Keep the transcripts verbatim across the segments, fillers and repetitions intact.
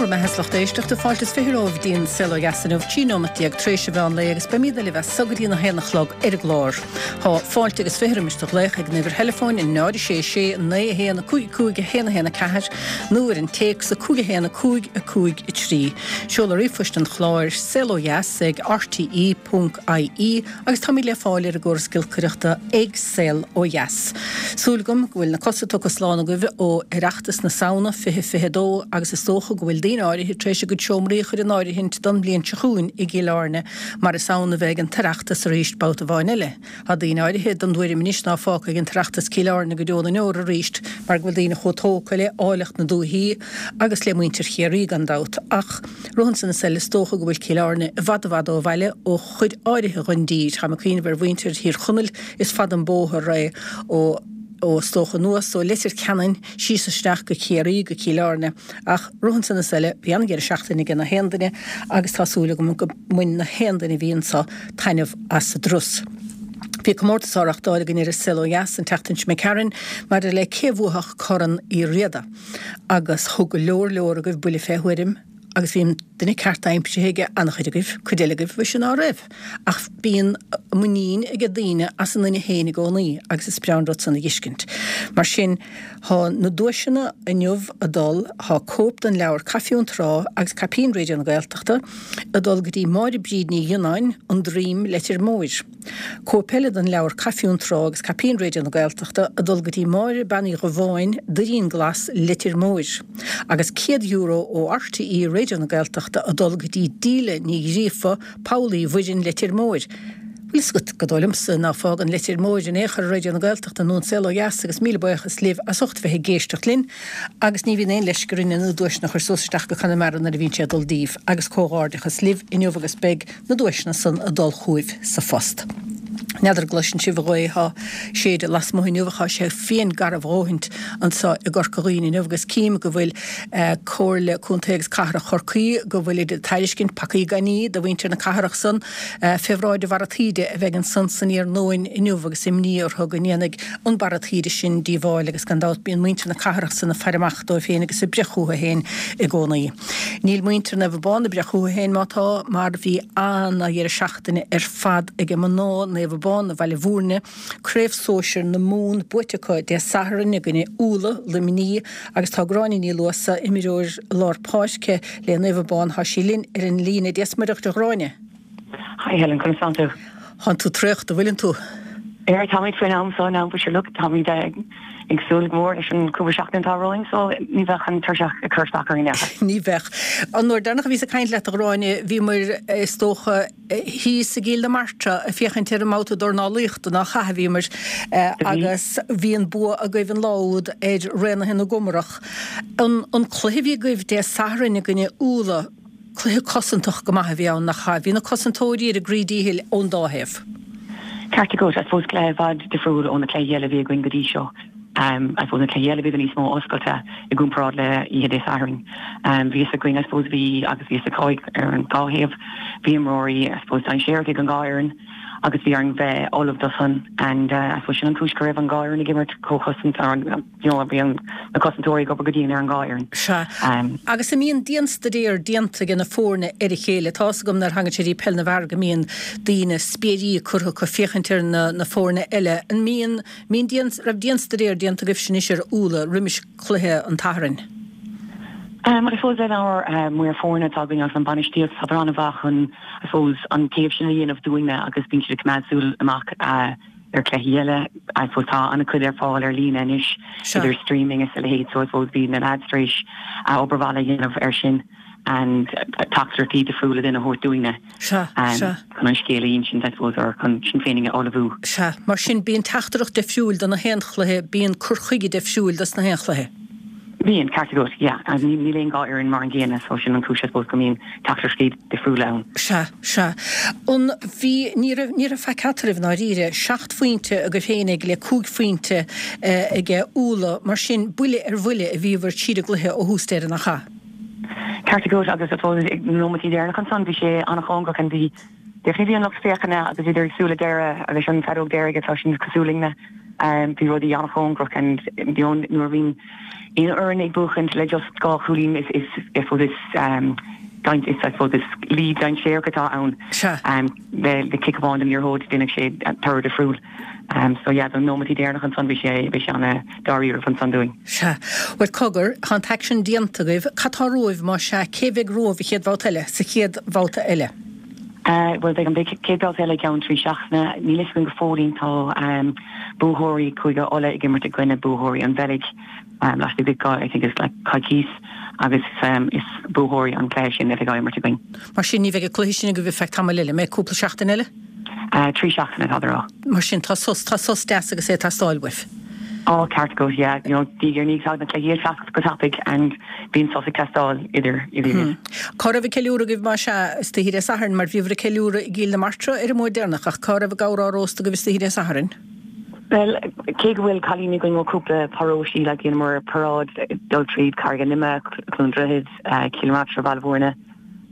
Go raibh maith agat a lucht éisteachta fáilte is fiche romhaibh go dtí an Saol Ó Dheas inniu trí nóimeat déag tar éis an mheán lae agus beimid libh as so go dtí a haon a chlog ar an gclár. Tá fáilte agus fiche roimis do ghlaoch ag an uimhir theileafóin náid sé sé naoi a haon a cúig cúig a haon a haon a ceathair nó ar an téacs a cúig a haon a cúig a cúig a trí. Seoladh ríomhphoist an chláir saol ó dheas ag rte ponc ie agus táimid le fáil ar an gcóras giolcaireachta ag Saol Ó Dheas. Súil agam go bhfuil na cosa tugtha slán agaibh ó Oireachtas na Samhna fiche fiche dó agus is dócha go bhfuil daoine áirithe tar éis a gcuid seomraí a chur in áirithint don bhliain seo chugainn i gCill Airne mar is ann a bheidh an tOireachtas arís babhta amháin eile. Tá daoine áirithe den dtuairim anois ná fágfaidh an tOireachtas Cill Airne go deo na ndeor arís mar go bhfuil daoine chomh tógtha le áilleacht na dúichí agus le muintir Chiarraí gan dabht ach roimhe san is eile is dócha go bhfuil Cill Airne i bhfad i bhfad ó bhaile ó chuid áirithe den dtír. Táim ag cuimhneamh ar mhuintir Thír Chonaill is fada an bóthar é ó ó is dócha anuas ó Leitir Ceanainn síos isteach go Ciarraí go Cill Airne ach roimhe san is eile bhí an-dheireadh seachtaine ag na haon duine agus tá súil agam go mbain na haon duine a bhí anso taitneamh as a dturas. Bhí comórtas á reáchtáil againn ar an Saol Ó Dheas an tseachtain seo caite maidir le cé bhuafadh Corn Uí Riada agus thug go leor leor agaibh buille fé thuairim agus bhí an duine ceart aimsithe ag an-chuid agaibh, cuid eile agaibh bhí sin ná raibh. Ach bíonn muinín ag daoine as a nduine féin i gcónaí agus is breá an rud san a fheiscint. Mar sin tá na duaiseanna inniu ag dul tá cóip den leabhar Caife ón Trá agus Caipín Raidió na Gaeltachta ag dul go dtí Máire Bríd Ní Ghionnáin an Droim Leitir Móir. Cóip eile den leabhar Caife ón Trá agus Caipín Raidió na Gaeltachta ag dul go dtí Máire Bean Uí Dhubháin Doirín Glas Leitir Móir. Agus céad euro ó RTÉ Raidió na Gaeltachta ag dul go dtí Díle Ní Ghríofa Poll Uí Mhuirinn Leitir Móir. Bhfuil a fhios agat gur dóigh liomsa ná fágann Leitir Móir in aon chor Raidió na Gaeltachta nó an Saol Ó Dheas agus míle buíochas libh as ucht bheith ag éisteacht linn agus ní bhíonn aon leisce orainne na duaiseanna a chur suas isteach go Conamara nuair a bhíonn sé ag dul díobh agus comhghairdeachas libh inniu agus beidh na duaiseanna san ag dul chugaibh sa phost. N'fheadar an gcloiseann sibh an ghaoth atá ag séideadh lasmuigh inniu ach tá sé fiain garbh a dhóthaint anseo i gCorca Dhuibhne inniu agus cím go bhfuil Comhairle Contae agus Cathrach Chorcaí go bhfuil ag tairiscint pacaí gainní do mhuintir na cathrach san fé bhráid an bharra taoide a bheidh ansan san iarnóin inniu agus imní orthu go ndéanfaidh an barra taoide sin díobháil agus gan dabht bíonn muintir na cathrach san ag faire amach dóibh féin agus ag breith chucu féin i gcónaí. Níl muintir Naomh Abán ag breith chucu féin má tá mar bhí ana-dheireadh seachtaine ar fad ag mná Naomh Abán i Bhaile Bhúirne, Craobh Sóisir na Mumhan buaite acu Dé Sathairn i gcoinne Úlla, Luimní agus tá Gráinne Ní Luasa, imreoir lár páirce le Naomh Abán, tá sí linn ar an líne. Dia 's Muire dhuit a Ghráinne. Hi Helen, conas tánn tú? Tánn tú traochta, bhfuileann tú? Ar táimid faoin am so now but sure look táimid ag ag súil go mór leis an cúpla seachtain atá romhainn so ní bheadh an tuirseach ag cur isteach orainn acha. Ní bheadh. An uair deireanach a bhíos ag caint leat a Ghráinne bhíomair is dócha thíos i gCill na Martra ag féachaint ar an mbabhta dornálaíochta nach ea a bhíomair agus bhí an bua agaibh an lá úd ar Raonaithe na gComarach. An an cluiche a bhí agaibh Dé Sathairn i gcoinne Úlla, cluiche cosantach go maith a bhí ann, nach ea? Bhí na cosantóirí ar a gcroí díchill ón dá thaobh. Ceart agat, I suppose cluiche i bhfad difriúil ó na cluichí eile a bhí againn go dtí seo. Um, I suppose na cluichí eile bhí níos mó oscailte i gcomparáid le oíche Dé Sathairn. Um, bhí againn I suppose bhí agus bhí cáil ar an dá thaobh, bhí imreoirí I suppose dainséarach ag an dhá fhoireann agus bhí orainn bheith ullamh do san and uh, I suppose sin an chúis go raibh an dhá fhoireann ag imirt chomh cosanta ar an you know, bhí na cosantóirí ag obair go dian ar an dhá fhoireann. Sea. Um, agus an mbíonn dianstaidéar déanta ag na foirne ar a chéile, Tá's agam nuair a thagann sé go dtí peil na bhfear go mbíonn daoine spiairí curtha acu féachaint ar na, na foirne eile. An mbíonn mbíonn dian, raibh dianstaidéar déanta agaibh sin ar Úlla roimis cluiche an tSathairn. Um, I suppose lenár uh, maor foirne atá againn agus an bainistíocht tá an-mhaith chun I suppose an taobh sin a dhéanamh dúinne agus bíonn siad ag coimeád súil amach uh, ar chluichí eile I suppose tá an-chuid ar fáil ar líne anois idir streaming is a leithéid so I suppose bhí na lads tar éis uh, obair mhaith a dhéanamh ar sin and teachtaireachtaí difriúla a thabhairt dúinne chun an scéal a insint I suppose or chun sin féin a ullmhú. Sea, mar sin bíonn teachtaireacht difriúil do na haon chluiche bíonn cur chuige difriúil dos na haon chluiche. Bíonn ceart agat yeah níl aon dhá fhoireann mar an gcéanna so sin an chúis I suppose go mbíonn teachtaireachtaí difriúla ann. Sea sea an bhí ní ní raibh faic eatarthu ndáiríre seacht phointe agaibh féinig le cúig phointe aige Úlla mar sin buille ar bhuille a bhíobhair tríd an gcluiche ó thús deireadh nach ea. Ceart agat agus I suppose ag nóiméidí deireanach ansan bhí sé an-chóngarach an bhí definitely bhí an lucht féachana agus idir ag súil le deireadh agus an feadóg deiridh atá sin cosúil linne Um, bhí rudaí an-chóngarach and you know, nuair a bhíonn aon fhoireann ag buachaint le just dhá chúilín is is is is um, is I suppose is lead dainséarach atá ann um, le le cic amháin den liathróid déanann sé toradh difriúil. Um, so yeah, don nóiméad deireanach ansan bhí sé bhí sé an-dáiríre ansan dúinn. Sea. Bhuel cogar, tá an t-aicsean déanta agaibh, cad tá romhaibh má sea cé bheidh romhaibh an chéad bhabhta eile, sa chéad bhabhta eile? Uh, well beidh an chéad bhabhta eile ceann trí seachtaine níl a fhios againn go fóillín tá um, buaiteoirí Chúige Uladh ag imirt i gcoinne buaiteoirí an Bheilg um, laistigh de I think it's like coicís agus um, is buaiteoirí an chluiche sin a bheidh ag imirt againn. Mar sin ní bheidh an cluiche sin agaibh feadh tamaill eile, mé cúpla seachtain eile? Uh, trí seachtaine tá rá. Mar sin tá sos tá sos deas agus é teastáil uaibh. Ó ceart go yeah, you know, diaidh ar ndiaidh na cluichí teacht go tapaidh and bíonn sos ag teastáil idir idir. Hmm. Cá raibh an ceiliúradh agaibh mar sea istoíche Dé Sathairn mar bhíobhair ag ceiliúradh i gCill na Martra ar an mbua deireanach ach cá raibh an gabhar á róstadh agaibh istoíche Dé Sathairn? Well, cé go bhfuil cailíní againn ó cúpla paróistí le rinneamar paráid dul tríd Carraig an Ime, Cluain Droichead, uh, Cill na Martra Baile Bhúirne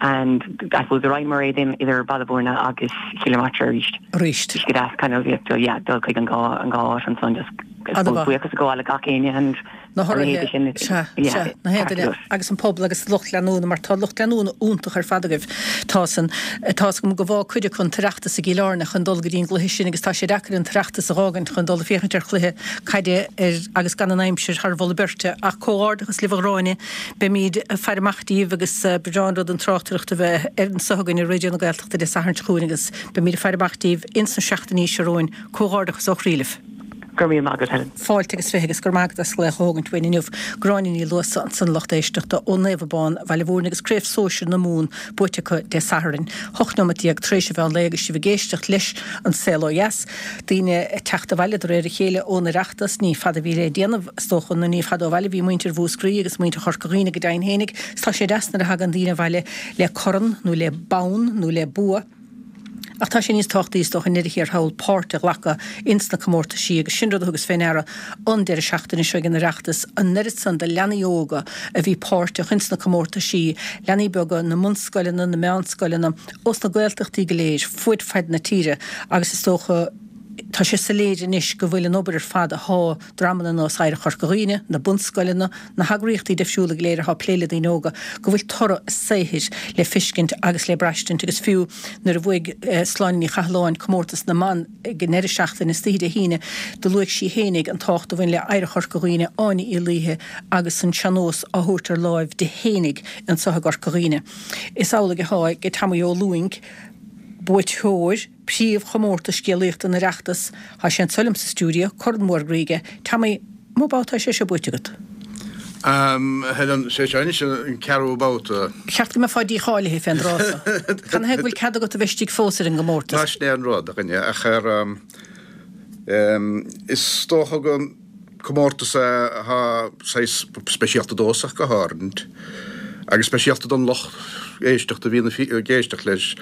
and I suppose the right mar éin idir Baile Bhúirne agus Cill na Martra arís. Arís. Go deas kind of yeah, dul chuig an dhá an dhá áit ansan just buíochas a ghabháil le gach éinne and na na héadaine agus an pobal agus lucht leanúna mar tá lucht leanúna iontach ar fad agaibh tá san tá go go bhá cuide chun Oireachtas i gCill Airne chun dul go dtí an gcluiche sin agus tá sé deacair an tOireachtas a fhágaint chun dul féachaint ar chluiche caide ar agus gan an aimsir thar mholadh beirte ach comhghairdeachas libh a Ghráinne beimid ag faire amach díbh agus b'fhéidir an rud an tráchtaireacht a bheith ar anseo againn ar Raidió na Gaeltachta Dé Sathairn seo chugainn agus beimid ag faire amach díbh ins na seachtainí seo romhainn comhghairdeachas ó chroí libh. Gur mí agat Helen. Fáilte agus fiche agus gur maith as glaoch a thógaint uainn inniu. Gráinne Ní Luasa ansan lucht éisteachta ó Naomh Abán Bhaile Bhúirne agus Craobh Sóisir na Mumhan buaite acu Dé Sathairn. Hocht nóiméad déag tar éis an mheán lae agus sibh ag éisteacht leis an Saol Ó Dheas. Daoine ag teacht abhaile de réir a chéile ón Oireachtas, ní fada a bhí le déanamh is dócha nó ní fada ó bhaile bhí muintir Mhúscraí agus muintir Chorca Dhuibhne go deimhin fhéinig. Is tá sé deas nuair a thagann daoine abhaile le corn nó le bonn nó le bua. Ach tá sé níos tábhachtaí is dócha i ndeireadh thiar thall páirt a ghlacadh ins na comórtaisí agus sin rud a thugas fé ndeara an deireadh seachtaine seo ag an Oireachtas, an oiread san de leanaí óga a bhí páirteach ins na comórtaisí, leanaí beaga na mbunscoileanna, na meánscoileanna, ós na Gaeltachtaí go léir, fuaid faid na tíre agus is dócha tá sé soiléir anois go bhfuil an obair ar fad athá dreamanna ar nós Oidhreacht Chorca Dhuibhne, na bunscoileanna, na heagraíochtaí difriúla go léir athá ag plé le daoine óga, go bhfuil toradh a saothair le fiscint agus le braistint agus fiú nuair a bhuaigh Sláine Ní Chathalláin comórtas na mban ag an ndeireadh seachtaine istoíche Dé hAoine do luaigh sí fhéinig an tábhacht a bhain le Oidhreacht Chorca Dhuibhne, Áine Uí Laoithe agus an sean-nós á thabhairt ar láimh di fhéinig anso i gCorca Dhuibhne. Is amhlaidh athá ag Tommy Ó Lúing, buaiteoir príomhchomórtas scéalaíochta an Oireachtais, tá sé anso liom sa stiúideo, corn mór groí aige. Tommy, an mó babhta atá sé seo buaite agat? Helen, sé seo anois an ceathrú babhta. Ba cheart go mbeifeá dícháilithe fén dtráth so. Cad ina thaobh go bhfuil cead agat a bheith istigh fós ar an gcomórtas? Ná sin é an rud, a dhuine, ach ar, is dócha go comórtas é atá saghas speisialta domhsa ach go háirithe, agus speisialta don lucht éisteachta a bhíonn ag éisteacht leis.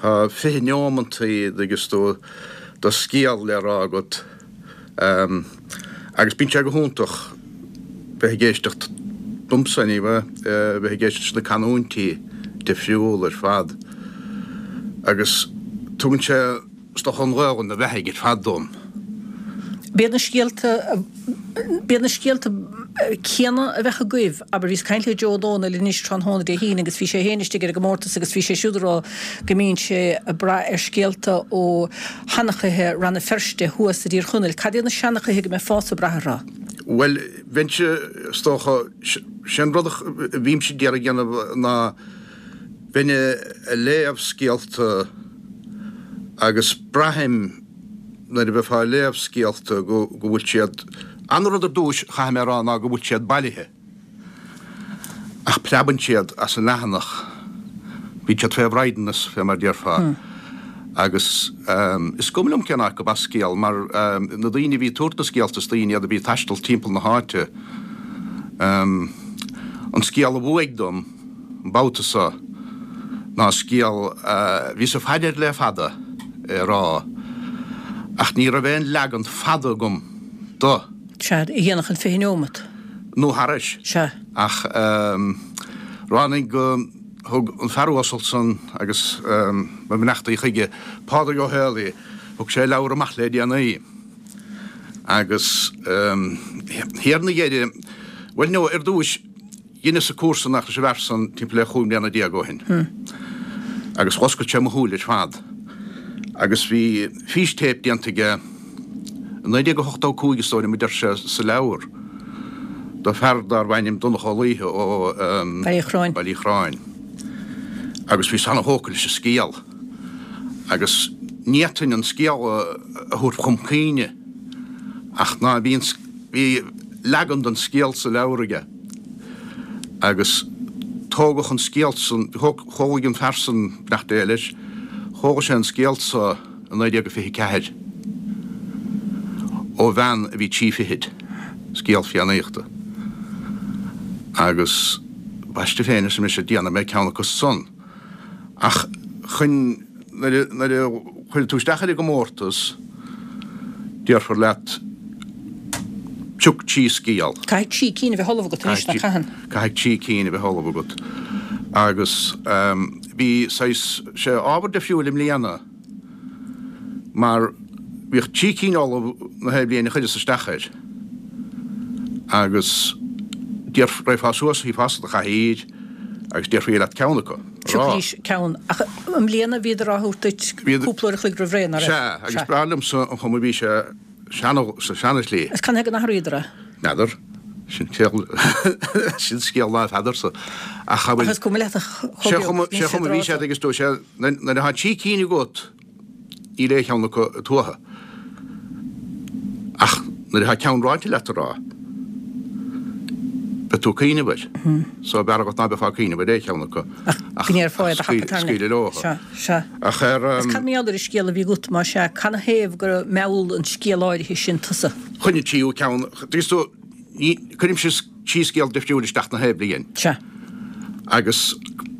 Tá fiche neomantaí agus do do scéal le rá agat agus bíonn sé go hiontach bheith ag éisteacht, domsa anyway, bheith ag éisteacht leis na canúintí difriúla ar fad agus tugann sé Is dócha an Ghaelainn a bheathaigh ar fad dom. B'iad na scéalta, b'iad na scéalta céanna a bheadh agaibh, abair, bhíos ag caint le Joe Ó Dónaill anois tráthnóna Dé hAoine agus bhí sé féin istigh ar an gcomórtas agus bhí sé siúd ag rá go mbíonn sé ag brath ar scéalta ó sheanchaithe Rann na Feirste thuas i dTír Chonaill. Cad iad na seanchaithe go mbeifeása ag brath orthu? Bhuel, bheinnse, is dócha, sé an rud a bhímse d'iarraidh a dhéanamh ná bheinn ag léamh scéalta agus braithim nuair a bheifeá ag léamh scéalta go bhfuil siad, an rud ar dtúis chaithfidh mé a rá ná go bhfuil siad bailithe ach preabann siad as an leathanach, bíonn siad fé bhraighdeanas fé mar déarfá agus is cuma liom cén áit gurb as scéal mar na daoine a bhí ag tabhairt na scéalta is daoine iad a bhí ag taisteal timpeall na háite. An scéal a bhuaigh dom. an babhta so ná scéal a bhíos ag faire air le fada é a rá, ach ní raibh aon leagan fada agam do. Sea, a dhéanfadh an fiche neomat. Nó thairis. Sea. Ach ráinig go thug an fear uasal san agus mo bheannachtaí chuige, Pádraig Ó Héalaí, thug sé leabhar amach le déanaí Agus thiar 'na dheireadh, bhuel no, ar dtúis, dheineas-sa cúrsa nach leis an bhfear san timpeall le chúig mbliana déag ó shin. Agus dh'oscail sé mo shúile ar fad. Agus bhí fístéip déanta aige i naoi déag a hochtó a cúig is dóigh liom a deir sé sa leabhar, do fear darbh ainm Donncha Ó Laoithe ó Baile Uí Chorráin. Baile Uí Chorráin. Agus bhíos ana-thógtha leis an scéal. Agus ní fhéadfainn an scéal a thabhairt chum cuimhne ach ná bhí an, bhí leagan den scéal sa leabhar aige. Agus tógadh an scéal san, thóg an fear san, beannacht Dé leis, thóg sé an scéal so i naoi déag a fiche ceathair ó bhean a bhí trí fichid, scéal Fiannaíochta. Agus baiste féin, arsa mise, déanfaidh mé ceann acu san. Ach chun, nuair a, nuair a chuireann tú isteach ar an gcomórtas, déarfar leat, Pioc trí scéal. Caithfidh trí cinn a bheith ullamh agat anois, nach caitheann? Caithfidh trí cinn a bheith ullamh agat. Agus bhí saghas, sé ábhar difriúil i mbliana mar bhíodh trí cinn ullamh na haon bhliain a chuireas isteach air. Agus déarf, raghfá suas, shuífeá sa do chathaoir agus déarfaí leat ceann acu a rá. Phiocaidís ceann. Ach i mbliana bhíodar á thabhairt duit cúpla uair a chloig roimh ré, nach raibh? Sea, agus b'fhearr liomsa an chuma a bhí sé sa seana-shlí. Is canathaobh gur athraíodar é? N'fheadar. Sin scéal, sin scéal ná feadarsa. Ach Ach is cuma leat a chomh beag, níl sé bhí siad agus dúirt sé, nuair atá trí cinn agat, níl aon cheann acu tuatha. Ach nuair atá ceann ráite leat a rá, beidh tú ag cuimhneamh air. So b'fhearr agat ná beifeá ag cuimhneamh ar aon cheann acu ach go ndéarfá é do thapa tairne. Scaoileadh leo. Sea, sea. Ach ar. Is cad mar gheall ar an scéal a bhí agat, más ea, canathaobh gur mheall an scéal áirithe sin tusa? Chun an tríú ceann, tuigeann tú, ní, cuirimse trí scéal difriúil isteach na haon bhliain. Sea. Agus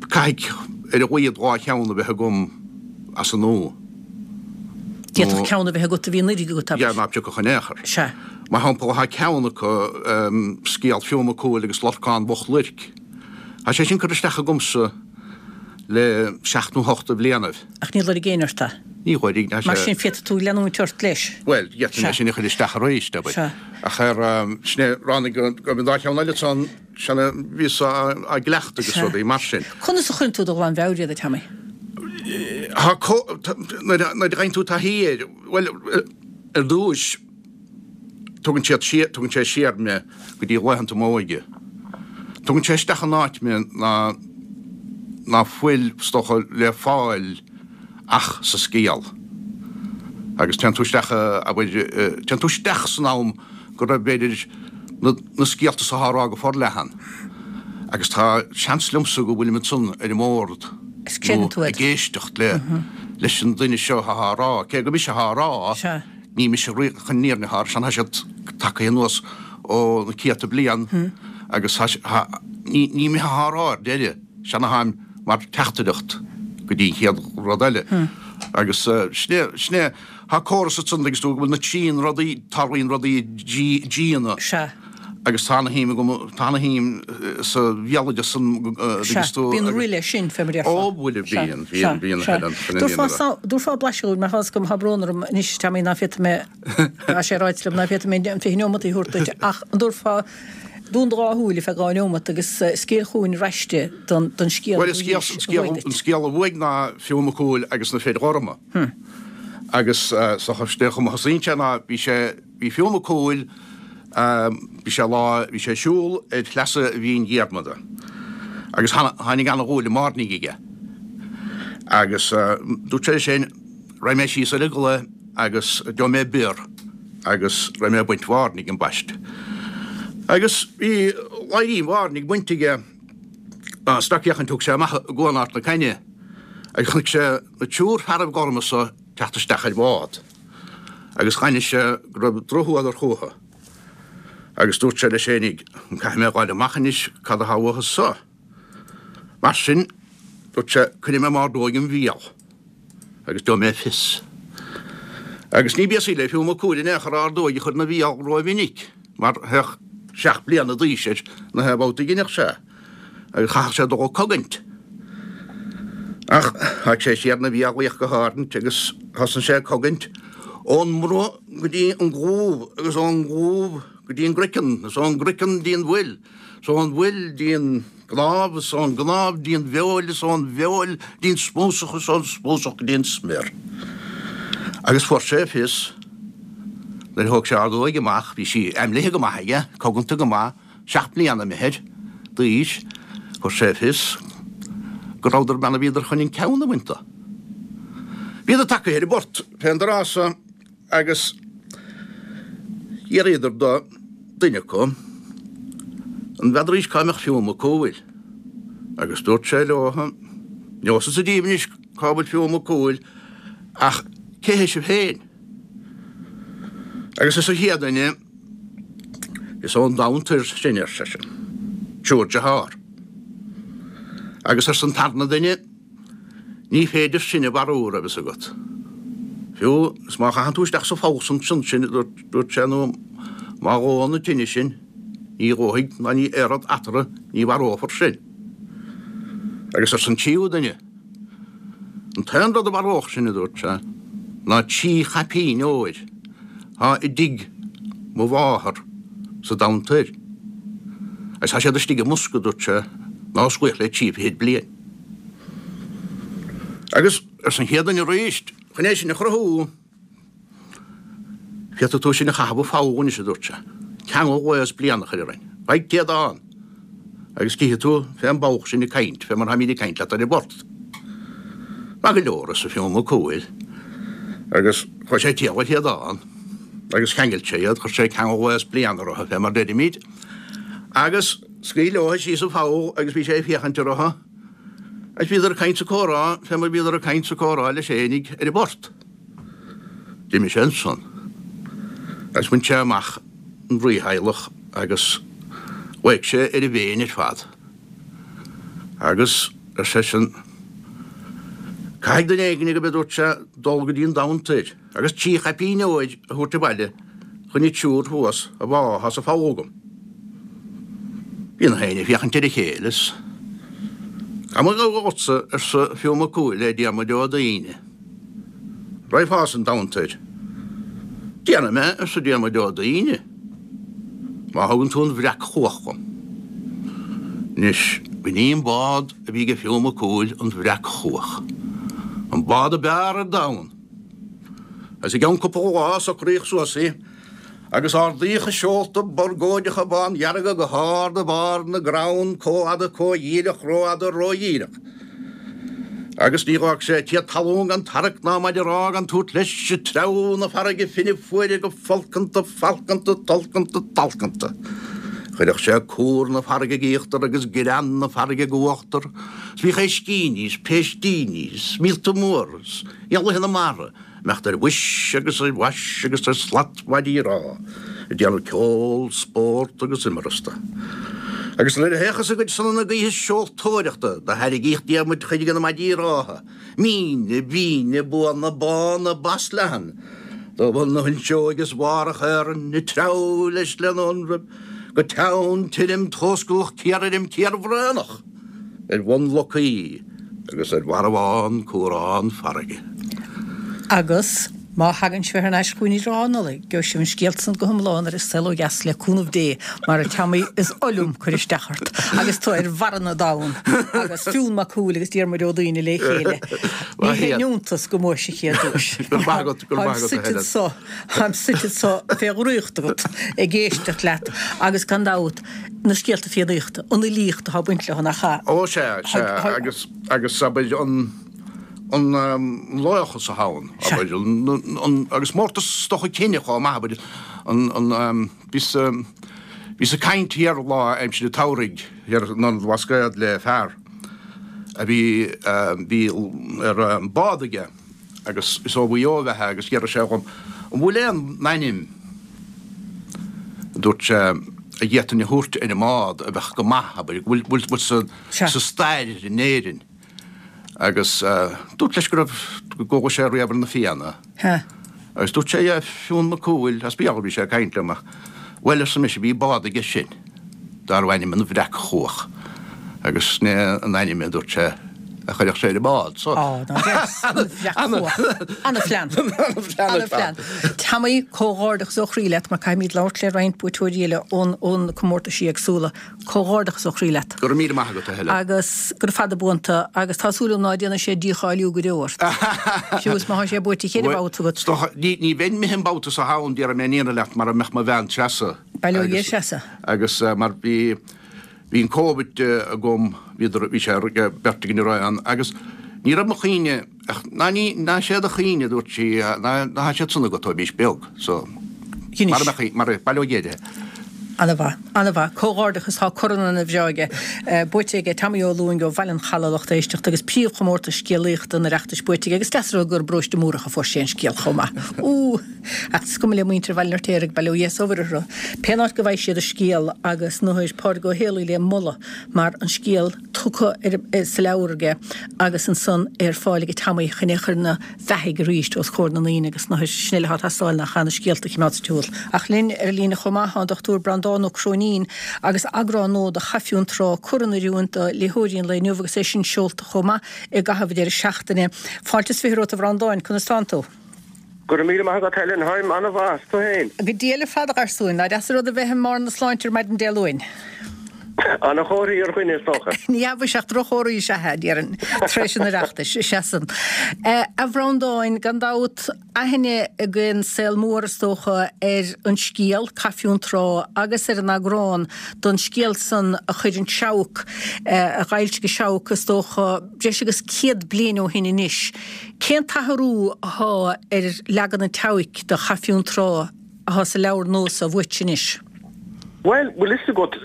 caithfidh ar a laghad dhá cheann a bheith agam as an nua. D'fhéadfadh ceann a bheith agat a bhí anuraidh agat, abair. Yeah, ná piocfadh in aon chor. Sea. Mar shampla, tá ceann acu, scéal Fionn Mac Cumhaill agus Lorcán Mhoch Luirc. Tá sé sin curtha isteach agamsa le seacht nó hocht de bhlianaibh. Ach níor lorg éinne ort é. Ní lorg, tá sé. Mar sin, féadfaidh tú leanúint ort leis. Bhuel, d'fhéadfainn é sin a chur isteach arís, abair. Sea. Ach ar, sin é, ráinig go raibh an dá cheann eile ansan, sin a bhíos á gcleachtadh agus rudaí mar sin. Conas a chuireann tú de ghlanmheabhair iad, a Tommy? Tá co, nuair a fhaigheann tú taithí air, bhuel, ar dtúis, tugann siad siar, tugann sé siar mé go dtí laethanta m'óige. Tugann sé isteach in áit mé ná, ná fuil, is dócha, le fáil ach sa scéal. Agus téann tú isteach, abair, téann tú isteach san am go raibh, b'fhéidir, na, na scéalta so á rá go forleathan. Agus tá seans liomsa go bhfuilim ansan ar an mbord Is creideann tú nó iad. ag éisteacht le, leis an duine seo atá á rá. Cé gur mise atá á rá, Sea. ní mise chun na fírinne atá á rá, tá siad tagtha anuas ó na céadta bliain agus tá, tá, ní, ní mise atá á rá ar deireadh, sean atáim mar teachtaireacht go dtí an chéad rud eile. Agus sin é, sin é, tá córas ansan agus tú go bhfuil na trían rudaí, tarlaíonn rudaí i dtrí, dtríonna. Sea. Agus tá ana-shuim agam, tá ana-shuim sa bhéaloideas san Sea, agus tú bíonn agus. roimhe sin, fé mar a déarfá. Ó, bhuel, Sea, bíonn, sea, bíonn, bíonn a sea. thuilleadh, chun an Dtabharfá líonra. sa, dtabharfá blaiseadh dúinn, mar tá 'fhios agam, tá brón orm anois, Tommy, ná féadfaidh mé, tá sé ráite liom ná féadfaidh mé an fiche neomat a thabhairt duit, ach an dtabharfá, dún do dhá shúil ar feadh dhá neomat agus scéal chugainn raiste don, don scéal Bhuel, a an scéal, bhuaigh an scéal, a bhuaigh an duit. scéal a bhuaigh ná Fionn Mac Cumhaill agus na Fir Ghorma. Agus sa chomh chuma thosaíonn sé ná bhí sé, bhí Fionn Mac Cumhaill, Bhí sé lá, bhí sé ag siúl ar shleasa Bhinn Diarmada agus tháinig ana-dhúil i mbairnigh aige. Agus dúirt sé leis féin, Raghaidh mé síos ar an gclaí agus gheobhaidh mé bior agus raghaidh mé ag baint bhairnigh ambaiste. Agus bhí ladhairín bhairnigh bainte aige, sracfhéachaint thug sé amach i gCuan Ard na Caithne agus chonaic sé na triúr fearaibh gorma so ag teacht isteach ar bhád. Agus dh'aithnigh sé go raibh drochfhuadar chúthu. Agus dúirt sé leis fhéinig, An caithfidh mé a ghabháil amach anois, cad athá uathu so? Mar sin, dúirt sé, cuirfidh mé m'ordóig im bhéal, agus gheobhaidh mé fios. Agus ní b'aosaí le Fionn Mac Cumhaill in aon chor ordóig a chur ina bhéal rómhinic, mar théadh seacht bliana d'aois air na haon bhabhta a dheineadh sé. Agus chaithfeadh sé dul ag cogaint. Ach tháinig sé siar 'na bhéal, a fhiach go háirint, agus thosaigh sé ag cogaint, Ón mbruth go dtí an clúmh agus ón gclúmh go dtí an gcraiceann is ón gcraiceann dtí an bhfuil is ón bhfuil dtí an gcnámh is ón gcnámh dtí an bhfeoil is ón bhfeoil dtí an smúsach is ón smúsach go dtí an smior. Agus fuair sé fios nuair a thóg sé ordóig amach, bhí sí aimlithe go maith aige, coganta go maith, seacht mbliana imithe d'aois, fuair sé fios go rabhadar bean a bhíodar chun an ceann a bhaint dó. Bhíodar tagtha ar an bport fén dtráth so agus d'fhiafraíodar do duine acu an bhfeadaraís cá mbeadh Fionn Mac Cumhaill agus dúirt sé leo, Neosfadsa díbh anois cá bhfuil Fionn Mac Cumhaill ach cé hé sibh féin? Agus arsa an chéad duine, Is ón domhan toir sinn, ar seisean, triúr dearthár. Agus arsa an tarna duine, Ní féidir sinn a mharú, raibh fhios agat. Fiú is má chaitheann tú isteach sa pholl ansin sinn, a dúirt sé, nó má dhóann an tine sinn, ní dhófaidh ná ní éireoidh eatarthu, ní mharófar sinn. Agus arsa an tríú duine, An t-aon rud a mharódh sinn, a dúirt sé, ná trí chaipín óir atá i dtigh mo mháthar sa domhan toir. Agus tá siad istigh i mbosca, a dúirt sé, nár osclaíodh le trí fichid bliain. Agus, arsa an chéad duine arís, chun é sin a chruthú, féadfaidh tú sinn a chaitheamh i bpoll anois, a dúirt sé, ceangal lae is bliana a chur orainn, faigh téadán, agus cífidh tú fén bpoll sinn ag caint, fé mar táimíd ag caint leat ar an bport. Maith go leor, arsa Fionn Mac Cumhaill, agus chuaigh sé ag triall ar théadán, agus cheangail sé iad, chuir sé ceangal lae is bliana orthu, fé mar deirimíd, agus scaoil leo síos sa pholl agus bhí sé ag féachaint orthu. Agus bhíodar ag caint 's ag comhrá fé mar bhíodar ag caint 's ag comhrá leis fhéinig ar an bport. D'imigh sé ansan agus bhain sé amach an rítheaghlach agus ghlaoigh sé ar a mhéin ar fad agus ar seisean, Caithfidh duine éigin agaibh, a dúirt sé, dul go dtí an domhan toir agus trí chaipín óir a thabhairt abhaile chun an triúr thuas a bhá atá sa pholl agam. Bhí na héinne ag féachaint ar a chéile is Gabhfaidh mé agatsa, arsa Fionn Mac Cumhaill le Diarmuid Ó Duibhne. Raghfá san domhan toir. Déanfaidh mé, arsa Diarmuid Ó Duibhne, má thugann tú an bhreac-chuach dhom. Anois, b'in í an bád a bhí ag Fionn Mac Cumhaill, an Bhreac-Chuach. An bád ab fhearr ar domhan. Agus i gceann cúpla lá socraíodh suas í agus ardaíodh a seolta borgóideacha bándhearga go hard i mbarr na gcrann comh fhada comh dhíreach rófhada ródhíreach. Agus ní dh'fhág sé téad talún gan tarrac ná maide rámha gan tabhairt leis ag treabhadh na farraige finne fuaire go folcanta falcanta tolcanta talcanta. Chuireadh sé cúr na farraige ag íochtar agus grean na farraige ag uachtar 's bhíodh éiscíní 's péistíní 's míolta móra 's éanlaithe na mara ag imeacht ar bhois agus ar bhais agus ar slat maidí rámha, ag déanamh ceol, spórt agus imreasta. Agus nuair a théachas a gcuid sonna gaoithe seoltóireachta do thairrigíodh Diarmuid chuid de na maidí rámha, míne, bíne, buana, bána, bas leathan, do bhun na fuinseoige is bharr a chairn, ag treabhadh leis lena ionraibh go teann tirim tóscalach ciarthirim ciarbhraonach. ar bhun locaí agus ar mharbhán cúrán farraige. Agus má thagann sibh thar n-ais chugainn i dtrátha Nollag, gheobhaidh sibh an scéal san go hiomlán ar An Saol Ó Dheas le cúnamh Dé, mar a Tommy is oth liom cur isteach ort agus tú ar bharra na dtonn agus Fionn Mac Cumhaill agus Diarmuid Ó Duibhne le chéile. Ní haon iontas go mbuafaidh an chéad duais. Go raibh maith agat, go raibh maith agat, a Helen. Táim suite anso fé dhraíocht agat ag éisteacht leat agus gan dabht, na scéalta Fiannaíochta, an fhilíocht atá ag baint leo, nach ea? Ó sea, sea, agus, agus abair an, an laochas atá ann, abair, an, an, agus mórtas is dócha cine chomh maith, abair, an, an, bhíos, bhíos ag caint thiar lá aimsir an tsamhraidh thiar in Ionad an Bhlascaoid le fear a bhí, bhí ar bád aige agus is ó Mhaigh Eo ab ea é agus d'fhiafraigh sé dhom an bhfuil aon ainm, a dúirt sé, a d'fhéadfainn a thabhairt ar an mbád a bheadh go maith, abair, go bhfuil, bhfuil sa, sa stair in Éirinn. Agus dúrt leis go raibh, go gcuala sé riamh ar na Fianna. Agus dúirt sé, yeah, Fionn Mac Cumhaill, as Béarla a bhí sé ag caint liom ach, bhuel, arsa mise, bhí bád aige sin darbh ainm an Bhreac-Chuach agus sin é an ainm, a dúirt sé, a chuirfeadh sé ar an mbád. So. Á, ná deas. Ana-phlean. Ana-phlean. Tommy, comhghairdeachas ó chroí leat mar caithfimid labhairt le roinnt buaiteoirí eile ón ón comórtaisí éagsúla. Comhghairdeachas ó chroí leat. Go raibh míle maith agat, a Helen. Agus gura fada buan tú agus tá súil agam ná déanfaidh sé dícháiliú go deo ort. Fiú is má thá sé buaite cheithre bhabhta agat. Is dócha, ní ní bheinn imithe an babhta seo ann, déarfaidh mé an fhírinne leat, mara mbeadh mo bhean Treasa. Bail ó Dhia ar Threasa. Agus mar bhí Bhí an Covid agam, bhíodar, bhí sé beirt againn araon agus ní raibh mo chuimhne ach ná ní, ná sé do chuimhne, a dúirt sí, ná ná tá siad san agat ó bhís beag, so Anois. mar a mbeadh, mar a, bail ó Dhia uirthi. Ana-mhaith, ana-mhaith. Comhghairdeachas, tá corn ana-bhreá aige, buaite aige Tommy Ó Lúing ó Bhaile an Chalaidh, lucht éisteachta, agus príomhchomórtas scéalaíochta an Oireachtais buaite aige agus deas a rá gur i bparóiste Múrach a fuair sé an scéal chomh maith. Ú! Ach is cuma le muintir Bhaile an Fheirtéaraigh, bail ó Dhia is ó Mhuire orthu, pén áit go bhfaighidh siad an scéal agus nuair Pádraig Ó Héalaí le moladh mar an scéal tugtha ar sa leabhar aige agus ansan é ar fáil ag Tommy chun é a chur ina bheathaidh arís os comhair na ndaoine agus nuair sin uile atá ag teastáil nach ea na scéalta a choimeád sa tsiúl. Ach linn ar an líne chomh maith tá an Dochtúir Breandán Ó Cróinín agus eagrán nua de Chaife Fionntrá curtha in oiriúint do léitheoirí an lae inniu agus é sin seolta chomh maith i gcaitheamh an deireadh seachtaine. Fáilte is fiche romhat a Bhreandáin, conas tánn tú? Go raibh míle maith agat Helen, tháim an-mhaith, 's tú fhéin? Go diail ar fad a gharsúin, nach deas an rud a bheith i mbarr na sláinte ar maidin Dé Luain. Ana-chomhartha ar dhuine is dócha. Ní hea mhuise ach droch-chomhartha is ea é, déarfainn, tar éis an Oireachtais, is ea san. A Bhreandáin, gan dabht, aithne againn saol mór is dócha ar an scéal, Cath Fionntrá, agus ar an eagrán don scéal san a chuir an Seabhac, a dh'fhoilsigh an Seabhac is dócha, breis agus céad bliain ó shin anois. Cén t-athrú athá ar leagan an tSeabhaic de Chath Fionntrá athá sa leabhar nua so uait anois? Bhuel, bhfuil fhios agat,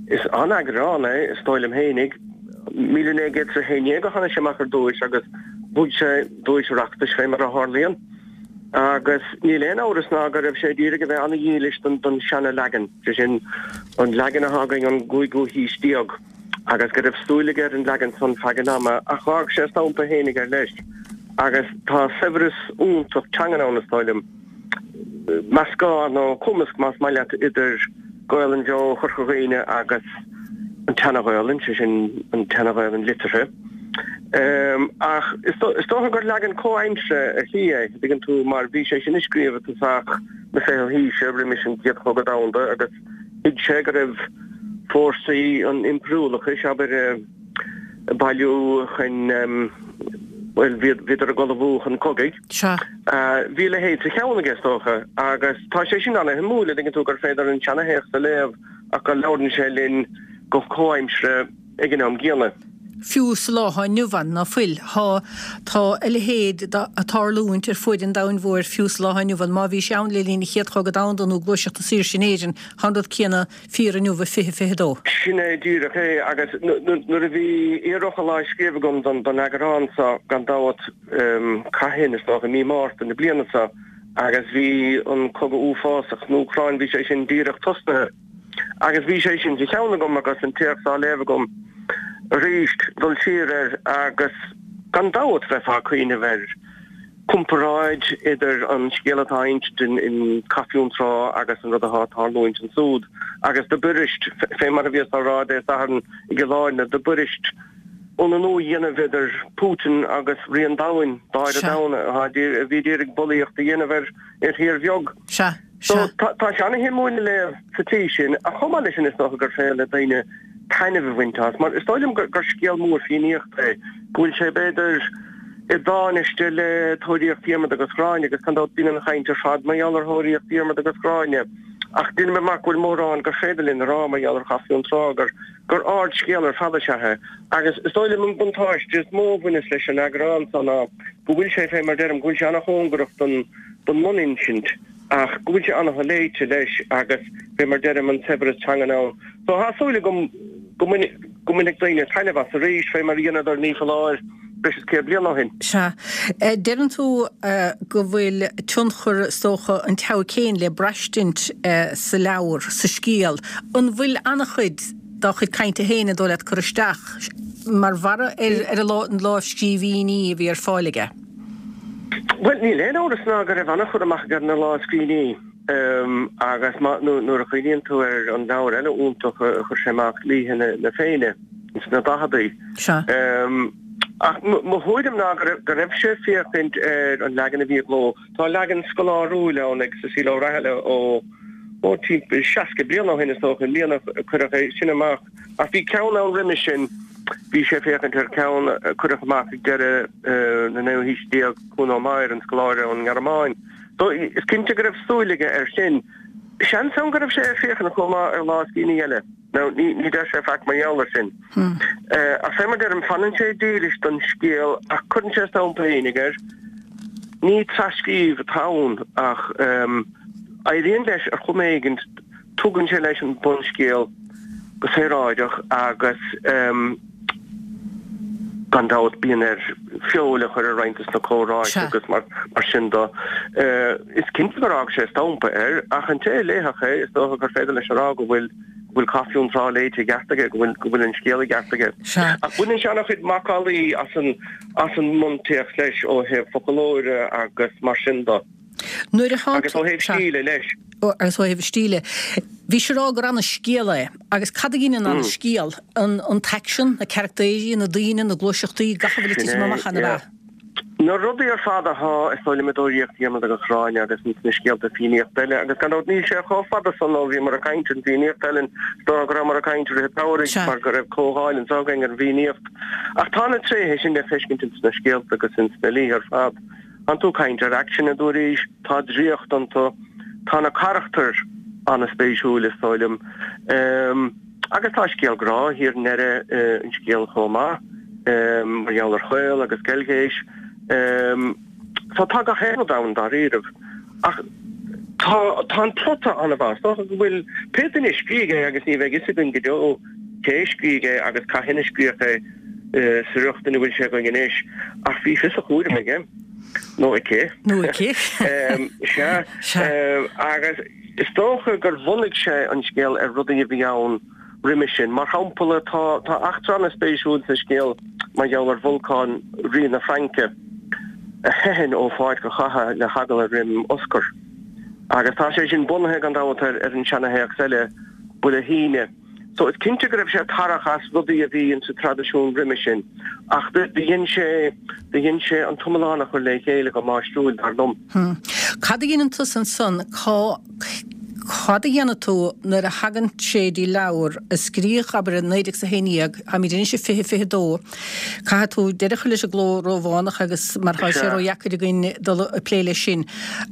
is an-eagrán é, is dóigh liom fhéinig. Míle naoi gcéad is a haon déag a tháinig sé amach ar dtúis agus bhuaigh sé duais Oireachtais fé mar a tharlaíonn. Agus níl aon amhras ná go raibh sé d'iarraidh a bheith an-dhílis don seana-leagan, sé sin, an leagan athá againn ón gcúigiú haois déag. agus go raibh súil aige ar an leagan san feadh an ama, ach dh'fhág sé a stampa fhéinig air leis. Agus tá saibhreas iontach teangan ann, is dóigh liom. Meascán, nó cumasc, más maith leat, idir Gaolainn bheo Chorca Dhuibhne agus an tSeana-Ghaolainn, sé sin, an tSeana-Ghaolainn liteartha. Ach is dócha gur leagan comhaimseartha ar shlí é, an dtuigeann tú, mar bhí sé sin a scríobh i dtosach na fichiú haoise, roimis an gCéad Chogadh Domhanda, agus Thuig sé go raibh fórsaí an impiriúlachais, abair, ag bailiú chun, bhuel, bhíodar ag ullmhú chun cogaidh. Sea. Bhí a leithéid sa cheann aige, is dócha, agus tá sé sin ana-shuimiúil, an dtuigeann tú, gur féidir an seanathéacs a léamh ach go labhrann sé linn go comhaimseartha ag an am gcéanna. Fiú sa lá atá inniu ann, ná fuil? Tá, tá a leithéid ag tarlúint ar fuaid an domhain mhóir fiú sa lá atá inniu ann. Má bhí sé ann le linn an Chéad Chogadh Domhanda nó Gluaiseacht na Saoirse in Éirinn, tá an rud céanna fíor inniu i fiche fiche dó. Sin é díreach é, agus nuair a bhí iarfhocal á scríobh agam don eagrán seo, gan dabht, cathain, is dócha, i mí Márta na bliana seo, agus bhí an cogadh uafásach san Úcráin, bhí sé sin díreach tosnaithe. Agus bhí sé sin sa cheann agam agus an téacs á léamh agam arís, dul siar air agus gan dabht bheifeá ag cuimhneamh ar chomparáid idir an scéal atá á insint in Cath Fionntrá agus an rud atá ag tarlúint ansúd. Agus dob fhuirist, fé mar a bhíos á rá Dé Sathairn i gCill Airne, dob fhuirist ionannú a dhéanamh idir Putin agus Rí an Domhain, Dáire Sea. Domhain, a bhí d'iarraidh bulaíocht a dhéanamh ar thír bheag. Sea. So, Sea. tá sé ana-shuimiúil a léamh sa tslí sin, ach chomh maith leis sin is dócha gur féidir le daoine taitneamh a bhaint as, mar is dóigh liom gur scéal mór Fiannaíochta é, go bhfuil sé b'fhéidir i dtánaiste le Tóraíocht Dhiarmada agus Ghráinne, agus gan dabht bíonn an chaint ar fad mar gheall ar Thóraíocht Dhiarmada agus Ghráinne, ach deinim amach go bhfuil mórán gur féidir linn a rá mar gheall ar Chath Fionntrá, gur gur ardscéal ar fad is ea é. Agus is dóigh liom an buntáiste is mó a bhaineas leis an eagrán seo ná go bhfuil sé, fé mar deirim, go bhfuil sé ana-chóngarach don don mbuninsint. ach go bhfuil sé ana-sholéite leis agus fé mar deirim an saibhreas teangan ann. So tá súil agam go go mbainfidh daoine taitneamh as arís fé mar a dheineadar ní foláir breis is céad bliain ó shin. Sea. Deireann tú go bhfuil tionchar is dócha an tSeabhaic féin le braistint sa leabhar, sa scéal. An bhfuil an-chuid dá chuid cainte féin an dóigh leat curtha isteach mar bharra ar na lámhscríbhinní a bhí ar fáil aige? Bhuel, níl aon amhras ná go raibh an-chur amach aige ar na lámhscríbhinní agus má, nuair a chuimhníonn tú ar an leabhar eile iontach a chuir sé amach, Laoithe na Féinne, ins na daicheadaí. Sea. Ach mo thuairim ná go raibh sé ag féachaint ar an leagan a bhí i gcló. Tá leagan scoláiriúil ann ag Cecile O'Rahilly ó ó timpeall seasca bliain ó shin is dócha, an bhliain a cuireadh é sin amach. Ach bhí ceann ann roimis sin, bhí sé ag féachaint ar cheann a cuireadh amach ag deireadh na naoú haoise déag, Kuno Meyer, an scoláire ón nGearmáin. So is cinnte go raibh súil aige air sin. Seans ann go raibh sé ag féachaint chomh maith ar lámhscríbhinní eile. Now, ní ní deir sé faic mar gheall air sin. Ach fé mar deirim, fanann sé dílis don scéal ach cuireann sé a stampa fhéinig air. Ní tras-scríobh atá ann ach éiríonn leis ar chuma éigint, tugann sé leis an bunscéal go saoráideach agus gan dabht bíonn air feoil a chur ar roinnt des na comhráite agus mar sin de. Is cinnte gur fhág sé a stampa air ach an té a léifeadh é is dócha gur féidir leis a rá go bhfuil go bhfuil Caife Fhionntrá léite i gceart aige, go bhfuil go bhfuil an scéal i gceart aige. Ach baineann sé an-chuid macallaí as an as an mbuntéacs leis ó thaobh foclóra agus mar sin de. Nuair a Agus ó thaobh stíle leis. Agus ó thaobh stíle. Bhís ag rá gur ana-scéal é. Agus cad a ghineann ana-scéal? An an t-aicsean, na carachtaeirí, na daoine, na gluaiseachtaí, gach a bhfuil ag titim amach ann, ab ea? Na rudaí ar fad athá, is dóigh liom, i dTóraíocht Dhiarmada agus Ghráinne agus ins na scéalta Fiannaíochta eile, agus gan dabht níl sé chomh fada san ó bhíomar ag caint ar an bhFiannaíocht, Helen, is dócha go rabhamar ag caint i rith an tsamhraidh mar go raibh comhdháil anso againn ar an bhFiannaíocht. Ach tá na tréithe sin le feiscint ins na scéalta agus ins na laoithe ar fad. Tánn tú ag caint ar aicsean, a dúraís, tá draíocht iontu, tá na carachtair an-spéisiúil, is dóigh liom. Agus tá scéal grá thiar i ndeireadh an scéil chomh maith, mar gheall ar Chaol agus Geilghéis. So tá gach aon rud ann dáiríribh. Ach tá tá an plota an-mhaith. Is dócha go bhfuil pé duine a scrígh é, agus ní bheidh fhios againn go deo cé a scrígh é agus cathain a scríodh é sa riocht ina bhfuil sé againn anois, ach bhí fios a chúraim aige. Nó aici. Nó aici. Sea. Agus. Is dócha gur bhunaigh sé an scéal ar rudaí a bhí ann roimhe sin. Mar shampla, tá tá eachtra an-spéisiúil sa scéal mar gheall ar Bholcán, rí na Fraince, a theitheann ó pháirc an chatha le heagla roim Oscar. Agus tá sé sin bunaithe, gan dabht, ar an seanathéacs eile, Buile hUidhne. So is cinnte go raibh sé ag tarrac as rudaí a bhí insa traidisiún roimhe sin, ach do dhein sé, do dhein sé an t-iomlán a chur le chéile go máistriúil, dar liom. Hm. Cad a dheineann tusa ansan? Cá, cad a dhéanann tú nuair a thagann sé dtí leabhar a scríodh, abair, i naoi déag 's a haon dhéag, táimid anois i fiche fiche dó, caithfidh tú deireadh a chur leis an gcló Rómhánach agus mar tá sé Sea. ródheacair againn dul ag plé leis sin.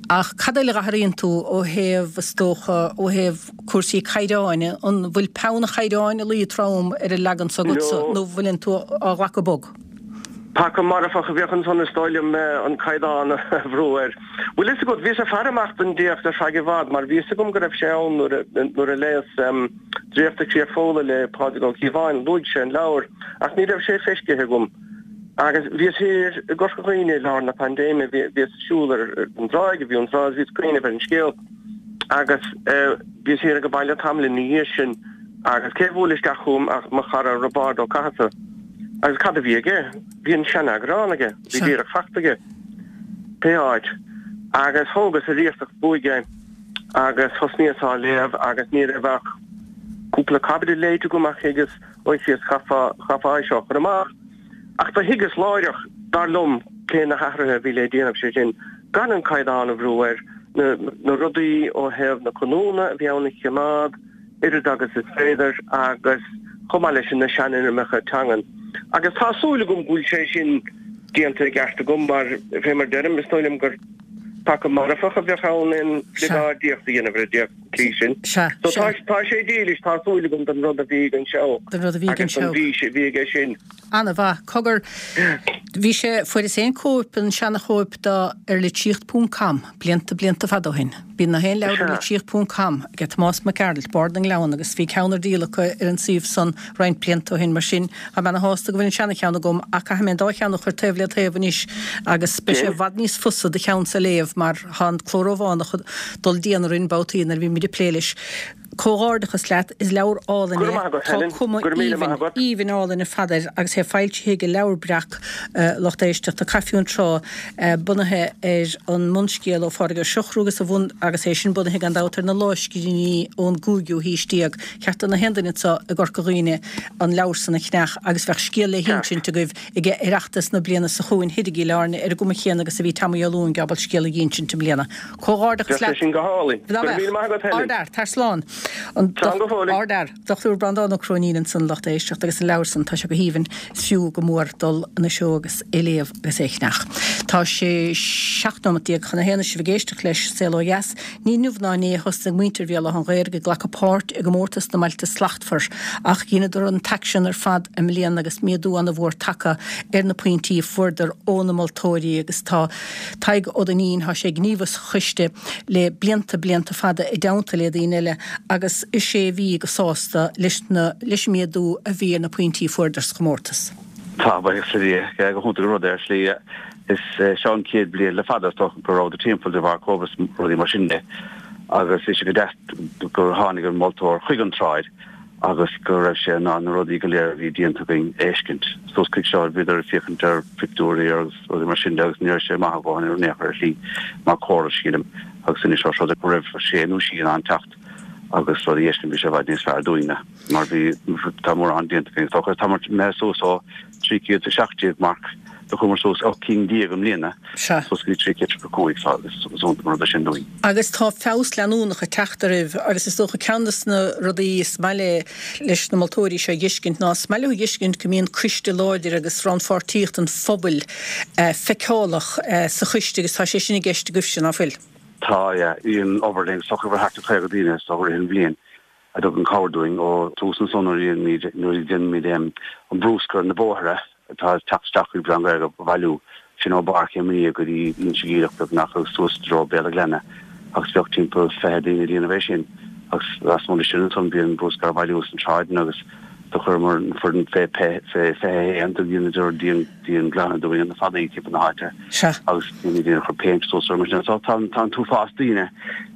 Ach cad eile a athraíonn tú ó thaobh, is dócha, ó thaobh, cúrsaí caighdeáin, an bhfuil peann an chaighdeáin ag luí trom ar an leagan s'agatsa No. nó bhfuileann tú á ghlacadh bog? Peaca marfach a bheadh ansan is dóigh liom an caighdeán a bhrú air. Bhfuil fhios agat, bhíos ag faire amach don dtéacs ar feadh i bhfad mar bhí fhios agam go raibh sé ann nuair a nuair a léas Draíocht de Chríoch Fódhla le Pádraig Ó Cíobháin, luaigh sé an leabhar ach ní raibh sé feiscithe agam. Agus bhíos thiar i gCorca Dhuibhne i lár na paindéime, bhíos ag siúl ar an dtráigh i bhFionntrá agus bhíos ag cuimhneamh ar an scéal. Agus bhíos thiar ag an baile tamall ina dhiaidh sin agus cé a bhuail isteach chugam ach mo chara Roibeárd Ó Cathasaigh. Agus cad a bhí aige? Bhí an seaneagrán aige, bhí díreach fachta aige. Pé áit. Agus thógas ar iasacht uaidh é agus thosnaíos á léamh agus ní raibh ach cúpla caibidil léite agam ach thuigeas, a Chríost, chaithfeá, chaithfeá é seo a chur amach. Ach do thuigeas láithreach, dar liom, cé na hathruithe a bhí le déanamh, sé sin, gan an caighdeán a bhrú air, na, na rudaí ó thaobh na canúna a bhí ann a chimeád, oiread agus is féidir, agus chomh maith leis sin na seanfhoirmeacha teangan. Agus tá súil agam go bhfuil sé sin déanta i gceart agam, mar, fé mar deirim, is dóigh liom gur peaca marfach a bheadh ann aon oileagáidíocht a dhéanamh ar an dtéacs sa tslí sin. Sea, So sea. tá, tá sé dílis, tá súil agam, don rud a bhí ag an Seabhac Don rud a bhí ag an agus don Seabhac. bhfís a bhí aige sin. Ana-mhaith. Cogar, bhí sé, fuaireas féin cóip, an seana-chóip de ar litríocht ponc com, blianta, blianta fada ó shin. Bíonn na haon leabhar ar Sea. litríocht ponc com ag Tomás Mac Gearailt, Bard na nGleann, agus bhí ceann ar díol acu ar an suíomh san roinnt blianta ó shin. Mar sin, tá mé ana-shásta go bhfuil an seana-cheann agam ach caithfidh mé an dá cheann a chur taobh le taobh anois agus beidh sé i Déan. bhfad níos fusa do cheannsa a léamh mar tá an cló Rómhánach ag dul dian orainn babhtaí nuair a bhímid ag plé leis. Comhghairdeachas leat, is leabhar álainn Go raibh é. maith agat, Tá Helen. cuma Go raibh míle maith aoibhinn, agat. aoibhinn álainn ar fad air agus é foilsithe ag Leabhar Breac, lucht éisteachta, Caife an Trá, bunaithe ar an mbunscéal ó Phádraig Ó Siochrú agus a bhun, agus é sin bunaithe gan dabht ar na lámhscríbhinní ón gcúigiú haois déag. Ceart do na haon duine anseo i gCorca Dhuibhne an leabhar san a cheannach agus bheadh scéal le Ceart. hinsint agaibh ag Oireachtas na bliana seo chugainn thiar i gCill Airne ar an gcuma chéanna agus a bhí Tommy Ó Luain ábalta scéal a dh'insint i mbliana. Comhghairdeachas Bheadh sé leat. sin go hálainn. Dá Go raibh mbeadh. míle maith agat, Helen. Ardfhear, tar slán. An Slán go fóill. Ardfhear. Dochtúir Breandán Ó Cróinín ansan lucht éisteachta agus an leabhar san tá sé go haoibhinn is fiú go mór dul anois agus é léamh agus é a cheannach. Tá sé seacht nóiméad déag chun a haon sibh ag éisteacht leis Saol Ó Dheas, ní inniu ná inné a thosnaigh muintir Bhéal Átha an Ghaorthaidh ag glacadh páirt i gcomórtas na mBailte Slachtmhar ach dheineadar an t-aicsean ar fad i mbliana agus méadú an-mhór tagtha ar na pointí a fuaireadar ó na moltóirí agus tá Tadhg Ó Duinnín tá sé gníomhach sa choiste le blianta blianta fada i dteannta le daoine eile agus is é a bhí go sásta leis na leis an méadú a bhí ar na pointí a fuaireadar sa chomórtas. Tá buíochas le Dia go hiontach an rud é ar shlí is seo an chéad bhliain le fada go raibh timpeall de bharr Covid rudaí mar sin de agus is go deas gur tháinig an moltóir chuig an tsráid agus go raibh sé ná na rudaí go léir a bhí déanta againn a fheiscint. Suas chuig seo bhíodar ag féachaint ar phictiúirí agus rudaí mar sin de agus ní raibh sé maith go ar néach ar shlí mar chóras sílim agus sin seo rud go raibh sé nó sí an teacht agus rudaí éiscin bhí sé bhfad níos fearr dúinne mar bhí tá mórán déanta againn so tá mé suas ó trí chéad a seacht déag marc do chuamar suas ocht gcinn déag i mbliana Sea. suas go trí chéad tríocha cúig agus mar rud sin dúinn. Agus tá feabhas leanúnach ag teacht oraibh agus is dócha ceann de na rudaí is maith le leis na moltóirí seo a fheiscint ná is maith leo a fheiscint go mbíonn coiste láidir agus rannpháirtíocht an phobail eh, feiceálach eh, sa choiste agus tá sé sin i gceist agaibhse ná fuil. Tá an obair linn socha thart ar chaoga daoine so an bhliain a dtugann cabhair dúinn ó tús an son nuair déanaimid an bruscar na bóithre atá teacht isteach chuig Béal Átha an Ghaorthaidh a bhailiú sin ó Bharr Chéim go dtí Inse Geimhleach nach suas dro Béal Glenna agus bheadh timpeall fiche daoine déanamh é sin agus lasmuigh sin an bhíonn bruscar bailiú san tsráid agus do chuireamar foireann fé fé fiche haon do bhíonn dianghlanadh dúinn na fallaí timpeall na háite Sea. agus daoine daoine chur péint suas ar mar sin so tá tá an t-uafás daoine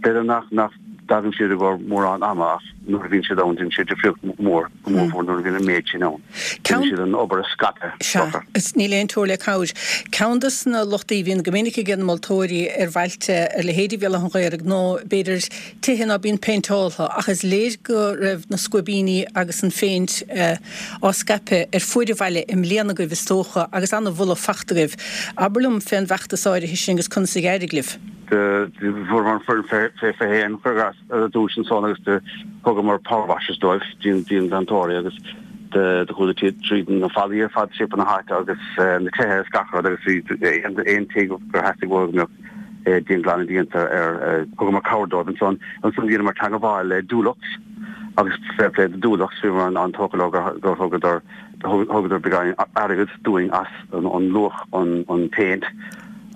b'fhéidir nach nach dtagann siad i gcomhair mórán ama ach nuair a bhíonn siad ann déanann siad difríocht mór go mór mhór nuair a bhíonn an méid sin ann. Ceann- Déanann siad an obair a scaipeadh. Sea, is níl aon teora le cabhair. Ceann de na lochtaí a bhíonn go minic ag na moltóirí ar bhailte ar leithéidí Bhéal Átha an Ghaorthaidh nó b'fhéidir tithe ná bíonn péinteáltha ach is léir go raibh na scuibíní agus an phéint eh, á scaipeadh ar fuaid an bhaile i mbliana agaibh is dócha agus an-mholadh fachta agaibh. Abair liom fén bhfeachtas áirithe sin agus conas a d'éirigh libh. Fuair an foireann fé fiche haon chuir dúis an son agus de thugamar power washers dóibh díon díonghlantóirí agus de de chuaigh siad tríd na fallaí ar fad timpeall na háite agus na tithe is gach rud agus bhí aon aon tigh gur theastaigh uaidh go mbeadh dianghlanadh déanta ar thugamar cabhair dóibh ansan ansan bhíomar teagmháil le Dulux agus fair play do Dulux bhí an an tócail gur gur thugadar thugadar beagán airgead dúinn as an an luach an an péint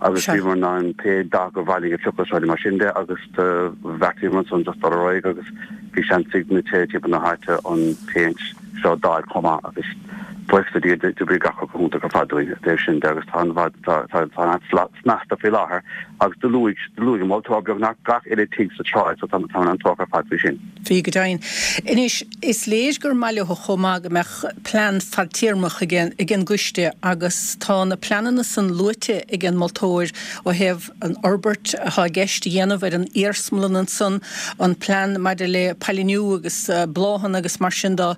agus Sea. bhíomar ná an pé dath gur bhailigh a phiocadh seo mar sin de agus bheartaíomar ansan just dul ar aghaidh agus bhí seans ag na tithe timpeall na háite an péint seo d'fháil chomh maith agus buíochas le Dia d'oibrigh gach rud go hiontach ar fad dúinn dóibh sin de agus tá an bhad tá tá tá an snasta faoi láthair agus do luaigh do luaigh an moltóir beagnach gach uile tigh sa tsráid so tá tá an tóch ar fad faoi sin. Bhí go deimhin. Anois is léir gur maith leo chomh maith go mbeadh plean fadtéarmach ag an ag an gcoiste agus tá na pleananna san luaite ag an moltóir ó thaobh an fhorbairt atá i gceist a dhéanamh ar an iarsmalann ansan an plean maidir le pailiniú agus uh, bláthanna agus mar sin de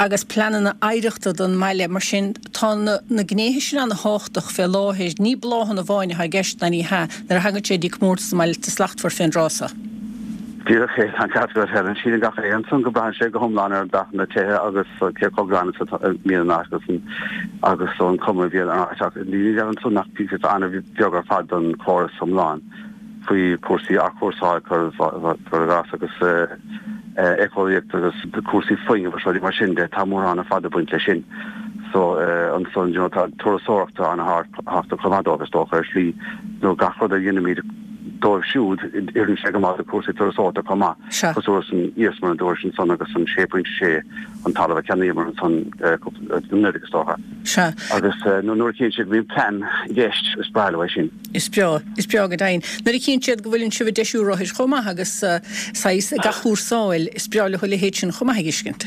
agus pleananna oidhreachta don mbaile mar sin tá na, na gnéithe sin an-tábhachtach fé láthair ní bláthanna amháin atá i gceist ná ní hea nuair a thagann sé dtí comórtas na mBailte Slachtmhar fén dtráth seo. Díreach é an ceart go Helen sílim gach aon san go braitheann sé go hiomlán ar dath na tithe agus cé chomh glan is atá míle an áit agus an agus an cuma a bhíonn ar an áit ach ní an san nach píosa an-bheag ar fad don chóras iomlán faoi cúrsaí athchúrsáil cur cur gas agus éiceolaíocht agus cúrsaí fuinnimh agus rudaí mar sin de tá mórán ar fad ag baint leis sin. So ansan you know, tá turasóireachta an-tábhachtach chomh maith dóibh is dócha ar slí nó gach rud a dhéanaimid dóibh siúd, oireann sé go maith do chúrsaí turasóireachta chomh maith. Sea. Cosúil leis an iarsmalann an dúirt ansan agus an sé pointe sé an talamh a cheannaíomar ansan cúpla anuraidh is dócha. Sea. Agus nuair a chíonn siad go mbíonn plean i gceist, is breá leo é sin. Is breá, is breá go deimhin. Nuair a chíonn siad go bhfuileann sibh ag deisiú rothair chomh maith agus saghas ag athchúrsáil, is breá leo a leithéid sin chomh maith a fheiscint.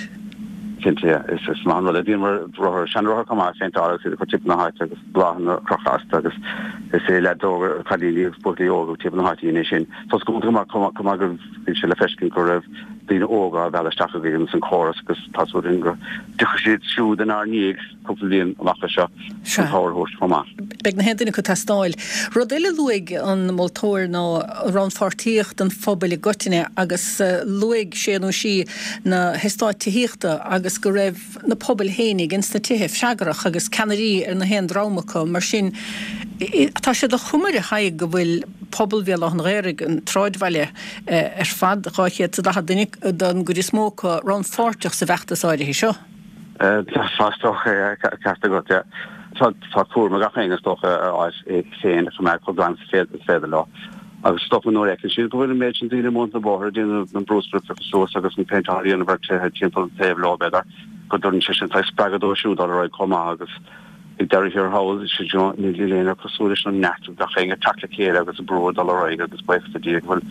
Cinnte, yeah. Is is maith an rud é. Bhíomar rothair, seanrothair chomh maith, a phéinteáil agus iad a chur timpeall na háite agus bláthanna a chrochadh astu agus is é leaids óga, cailíní agus buachaillí óga timpeall na háite a dhein é sin. So is go maith chomh maith go bhí sé le feiscint go raibh daoine óga á mhealladh isteach againn ins an chóras agus tá súil againn go dtiocfaidh siad siúd inár ndiaidh cúpla bliain amach anseo chun cabhair a thabhairt chomh maith. Beidh na haon duine acu ag teastáil. Rud eile a luaigh an moltóir ná rannpháirtíocht an phobail i gcoitinne agus luaigh sé nó sí na heastáit tithíochta agus go raibh na pobail fhéinig ins na tithe freagrach agus ceannairí ar na haon dream acu. Mar sin, tá sé de chuma air, a Thaidhg, go bhfuil pobal Bhéal Átha an Ghaorthaidh, an tsráidbhaile ar fad, dhá chéad is a daichead duine don gcuid is mó acu, rannpháirteach sa bhfeachtas áirithe seo. Tá is dócha é, ceart agat, yeah. Tá tá cúram ag gach éinne is dócha a áit féin a choimeád chomh glan is féidir leo. Agus is dócha nuair a fheiceann siad go bhfuil an méid sin daoine amuigh ar na bóithre ag déanamh an bruscar a phiocadh suas agus an péinteáil a dhéanamh ar tithe timpeall an taobh leo, b'fhéidir, go dtugann sé sin saghas spreagadh dóibh siúd dul ar aghaidh chomh maith agus ag deireadh thiar thall, you know, níl aon rud cosúil leis an neart ag gach éinne teacht le chéile agus an brú ag dul ar aghaidh agus buíochas le Dia go bhfuil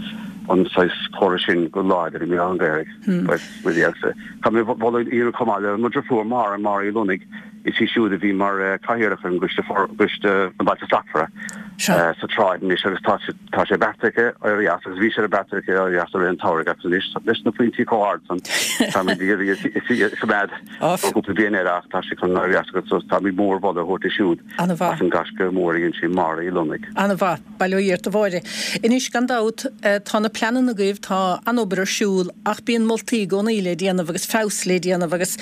an saghas córas sin go láidir i mBéal Átha an Ghaorthaidh. Really agus tá mé moladh a dhéanamh chomh maith le mo dheirfiúr Máire, Máire Uí Lonnaigh, is í siúd a bhí mar chathaoirleach ar an gcoiste gcoiste na Bailte Slachtmhara sa tsráid anois agus tá tá sé beartaithe aici éirí as agus bhí sé beartaithe aici éirí as i rith an tsamhraidh agus anois leis na pointí chomh hard san táimid ag iarraidh í a choimeád ó cúpla bliain eile ach tá sí chun éirí as agus so táimid mór-mholadh a thabhairt di siúd as an gaisce mór a dhein sí, Máire Uí Lonnaigh. An-mhaith. Bail ó Dhia ort a Mháire. Anois, gan dabht, tá na pleananna agaibh, tá an-obair ar siúl, ach bíonn moltaí i gcónaí le déanamh agus feabhas le déanamh agus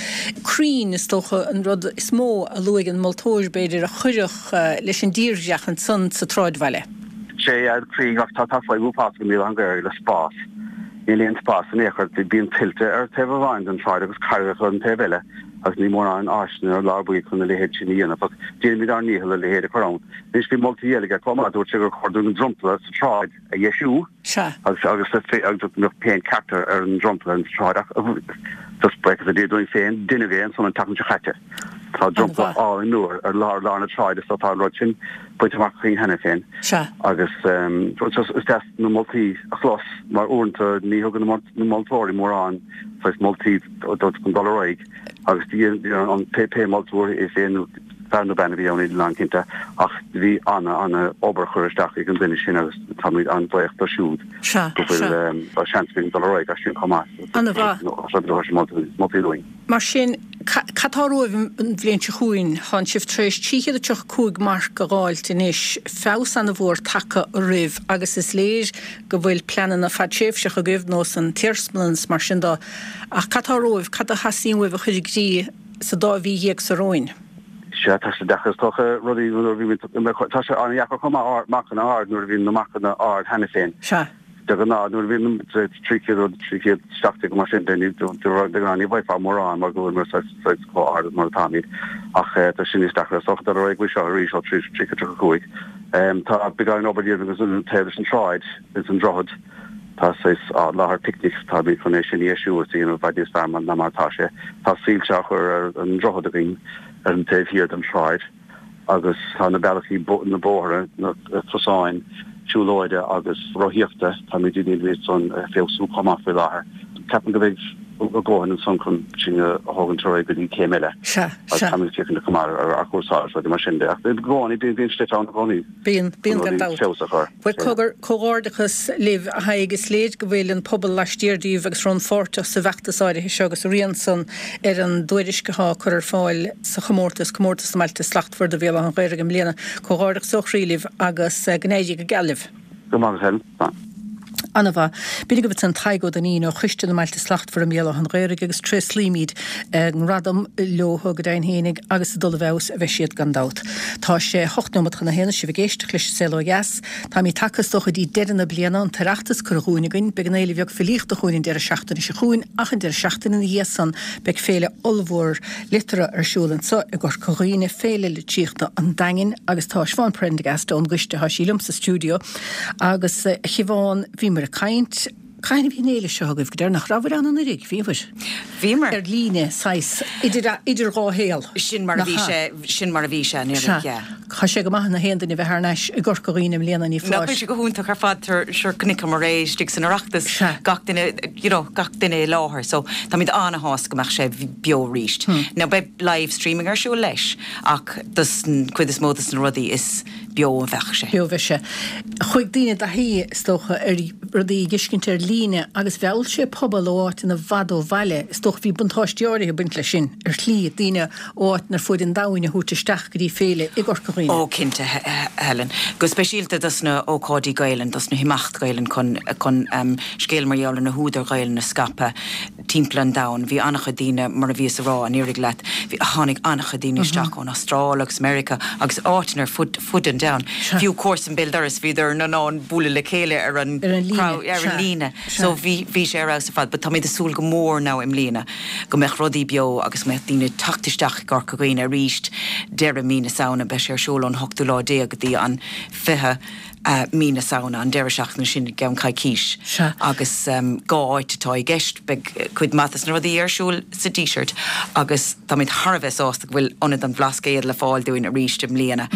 crainn, is dócha, an rud is mó a luaigh an moltóir, b'fhéidir, a chuirfeadh leis an dtírdhreach ansan sa tsráidbhaile. Sea, crainn, ach tá fadhb uafásach i mBéal Átha an Ghaorthaidh le spás. Níl aon spás in aon chor. Bíonn tuilte ar taobh amháin den tsráid agus carraigeacha ar an taobh eile agus níl mórán áiseanna ar lár baill chun a leithéid sin a dhéanamh ach déanaimid ár ndícheall a leithéid a chur ann. Anois bhí moltaí eile aige chomh maith, dúirt sé gur chóir dúinn an dromchla sa tsráid a dheisiú Sea. agus agus agus go mbeadh péint ceart ar an dromchla sa tsráid ach just buíochas le Dia dúinn féin, deineadh é ansan an tseachtain seo chaite. Tá dromchla An-mhaith. álainn nua ar lár lár na sráide so tá an rud sin bainte amach againn cheana féin Sea. agus just is deas na moltaí a chlos mar uaireanta ní thugann na moltóirí mórán saghas moltaí chun dul ar aghaidh agus an pé pé moltóir é féin nó fear nó bean a bhí ann níl mé cinnte ach bhí ana ana obair curtha isteach ag an duine sin agus táimid an-bhuíoch dó siúd Sea, go bhfuil sea. seans againn dul ar aghaidh as sin chomh maith. An-mhaith. Moltaí dúinn. Mar sin, cad tá romhaibh an bhliain seo chugainn? Tánn sibh tar éis trí chéad a tríocha cúig marc a dh'fháilt anois, feabhas ana-mhór tagtha oraibh agus is léir go bhfuil pleananna fadtréimhseacha agaibh, nós an t-iarsmalann is mar sin de. Ach cad tá romhaibh, cad a theastaíonn uaibh a chur i gcrích sa dá mhí dhéag so romhainn? Sea, tá sé deacair is dócha rudaí nuair a bhímid, tá sé an-dheacair chomh maith marcanna ard nuair a bhíonn na marcanna ard cheana féin. Sea. De ghnáth nuair a bhíonn trí chéad rud, trí chéad seacht déag mar sin de, de ghnáth ní bhfaighfeá mórán mar go bhfuil muid saghas chomh hard mar atáimid. Ach tá sin níos deacra is dócha dul ar aghaidh faoi seo arís ó trí chéad tríocha cúig. Tá beagáinín obair le déanamh agus an taobh leis an tsráid is an droichead. Tá saghas láthair picnic, táimid chun é sin a dheisiú agus a dhéanamh i bhfad níos fearr ná mar atá sé. Tá soilse á chur ar an droichead againn ar an taobh thiar den tsráid agus tá na bealaí, na bóithre, na cosáin siúlóide agus rothaíochta, táimid ag iarraidh iad san a feabhsú chomh maith faoi láthair. Ceapaim go mbeidh a dhóthain ansan chun sinn a thógaint ar aghaidh go dtí céim eile. Sea, Agus sea. táimid ag féachaint chomh maith ar athchúrsáil agus rudaí mar sin de. Ach i gcónaí, bíonn bíonn slite ann i gcónaí Bíonn, bíonn chun gan rudaí dabht. feabhas a chur. Bhuel, cogar, comhghairdeachas libh, a Thaidhg. Is léir go bhfuil an pobal laistiar díbh agus rannpháirteach sa bhfeachtas áirithe seo agus a rian san ar an dtuairisc atá á cur ar fáil sa chomórtas, Comórtas na mBailte Slachtmhara do Bhéal Átha an Ghaorthaidh i mbliana. Comhghairdeachas ó chroí libh agus go n-éirí go geal libh. Go maith, Helen. An-mhaith. B'in agaibh ansan Tadhg Ó Duinnín ó Choiste na mBailte Slachtmhara i mBéal Átha an Ghaorthaidh agus tréaslaímid a ngradam leo go deimhin fhéinig agus ag dul i bhfeabhas a bheidh siad gan dabht. Tá sé hocht nóiméad chun a haon, sibh ag éisteacht leis An Saol Ó Dheas. Táimid tagtha is dócha dtí deireadh na bliana, an tOireachtas curtha dhúinn againn, beidh an Fhéile Bheag Filíochta chugainn an deireadh seachtaine seo chugainn ach an deireadh seachtaine ina dhiaidh san beidh féile ollmhór liteartha ar siúl anso i gCorca Dhuibhne, Féile Litríochta an Daingin agus tá Siobhán Prendergast ón gcoiste, tá sí liom sa stiúideo agus a Shiobhán, bhíomar ag caint, cathain a bhí an fhéile seo agaibh go deireanach? Rabhabhair ann anuraidh, bhíobhair? Bhíomar. Ar líne, saghas, idir, idir dhá shaol. Sin mar a bhí sé, sin mar a bhí sé anuraidh, yeah. Tá sé go maith na haon duine a bheith thar n-ais i gCorca Dhuibhne i mbliana, ní foláir. Nach bhfuil sé go hiontach ar fad, sure chonaiceamar é istigh san Oireachtas, gach duine, you know, gach duine i láthair, so táimid an-shásta go mbeadh sé beo arís. Now beidh live streaming ar siúl leis ach dos cuid is mó dos na rudaí is beo a bheadh sé. Beo a bheidh sé. Chuaigh daoine i dtaithí, is dócha, ar rudaí a dh'fheiscint ar líne agus mheall sé pobal ó áiteanna i bhfad ó bhaile. Is dócha bhí buntáistí áirithe ag baint leis sin, ar shlí, daoine ó áiteanna ar fuaid an domhain a thabhairt isteach go dtí féile i gCorca Dhuibhne. Ó, cinnte, Helen. Go speisialta dos na hócáidí Gaelainn, dos na himeachtaí Gaelainn chun, chun scéal mar gheall ar na húdair Ghaelainn a scaipeadh timpeall an domhain. Bhí an-chuid daoine, mar a bhíos a rá anuraidh leat, bhí, tháinig an-chuid daoine isteach ón Astráil agus Meiriceá agus áiteanna ar fud, fud an domhain. Fiú comharsan béal dorais, bhíodar in ann bualadh le chéile ar an ar an líne. So bhí bhí sé ar fheabhas ar fad. But táimid ag súil go mór now i mbliana go mbeadh rudaí beo agus go mbeadh daoine ag teacht isteach i gCorca Dhuibhne arís deireadh mí na Samhna. Beidh sé ar siúl ón hochtú lá déag go dtí an fiche mí na Samhna, an deireadh seachtaine sin i gceann coicís. Agus dhá áit atá i gceist. Beidh cuid mhaith des na rudaí ar siúl sa Díseart agus táimid thar a bheith sásta go bhfuil Ionad an Bhlascaoid le fáil dúinn arís i mbliana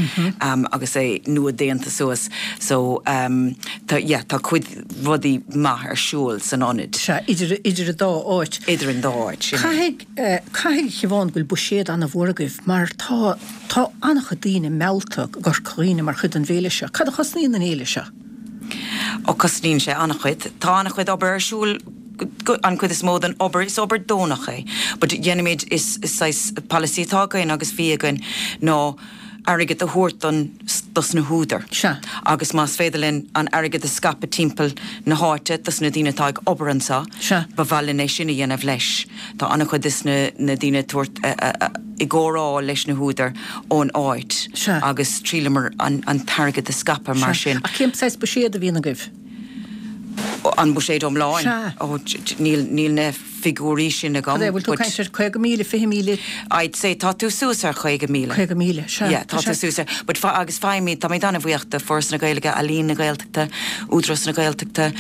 agus é nua déanta suas. So tá, yeah, tá cuid rudaí maith ar siúl san ionad. Sea, idir, idir an dá áit. Idir an dá áit, sin é. Caithfidh, caithfidh, a Shiobhán, go bhfuil buiséad an-mhór agaibh mar tá, tá an-chuid daoine meallta go Corca Dhuibhne mar chuid den bhféile seo. Cad a chosnaíonn an fhéile seo? Ó, cosnaíonn sé an-chuid. Tá an-chuid obair ar siúl, an chuid is mó den obair, is obair deonach é. But déanaimid, is saghas polasaí atá againn agus bhí againn ná airgead a thabhairt don, dos na húdair. Sea. Agus más féidir linn an airgead a scaipeadh timpeall na háite dos na daoine atá ag obair anseo, Sea. ba mhaith linn é sin a dhéanamh leis. Tá an-chuid des na, na daoine ag tabhairt, i gcomhrá leis na húdair ón áit Sea. agus triaileamar an, an t-airgead a scaipeadh mar Sea. sin. Ach cén saghas buiséad a bhíonn agaibh? An buiséad iomlán? Sea. Ó, níl, níl na figiúirí sin agam. Cad é, bhfuil tú ag caint ar caoga míle, fiche míle? I'd say tá tú suas ar chaoga míle. Caoga míle, sea. Yeah, tá tú suas ar, but fa, agus faighimid, táimid an-bhuíoch de Foras na Gaeilge, Ealaín na Gaeltachta, Údarás na Gaeltachta,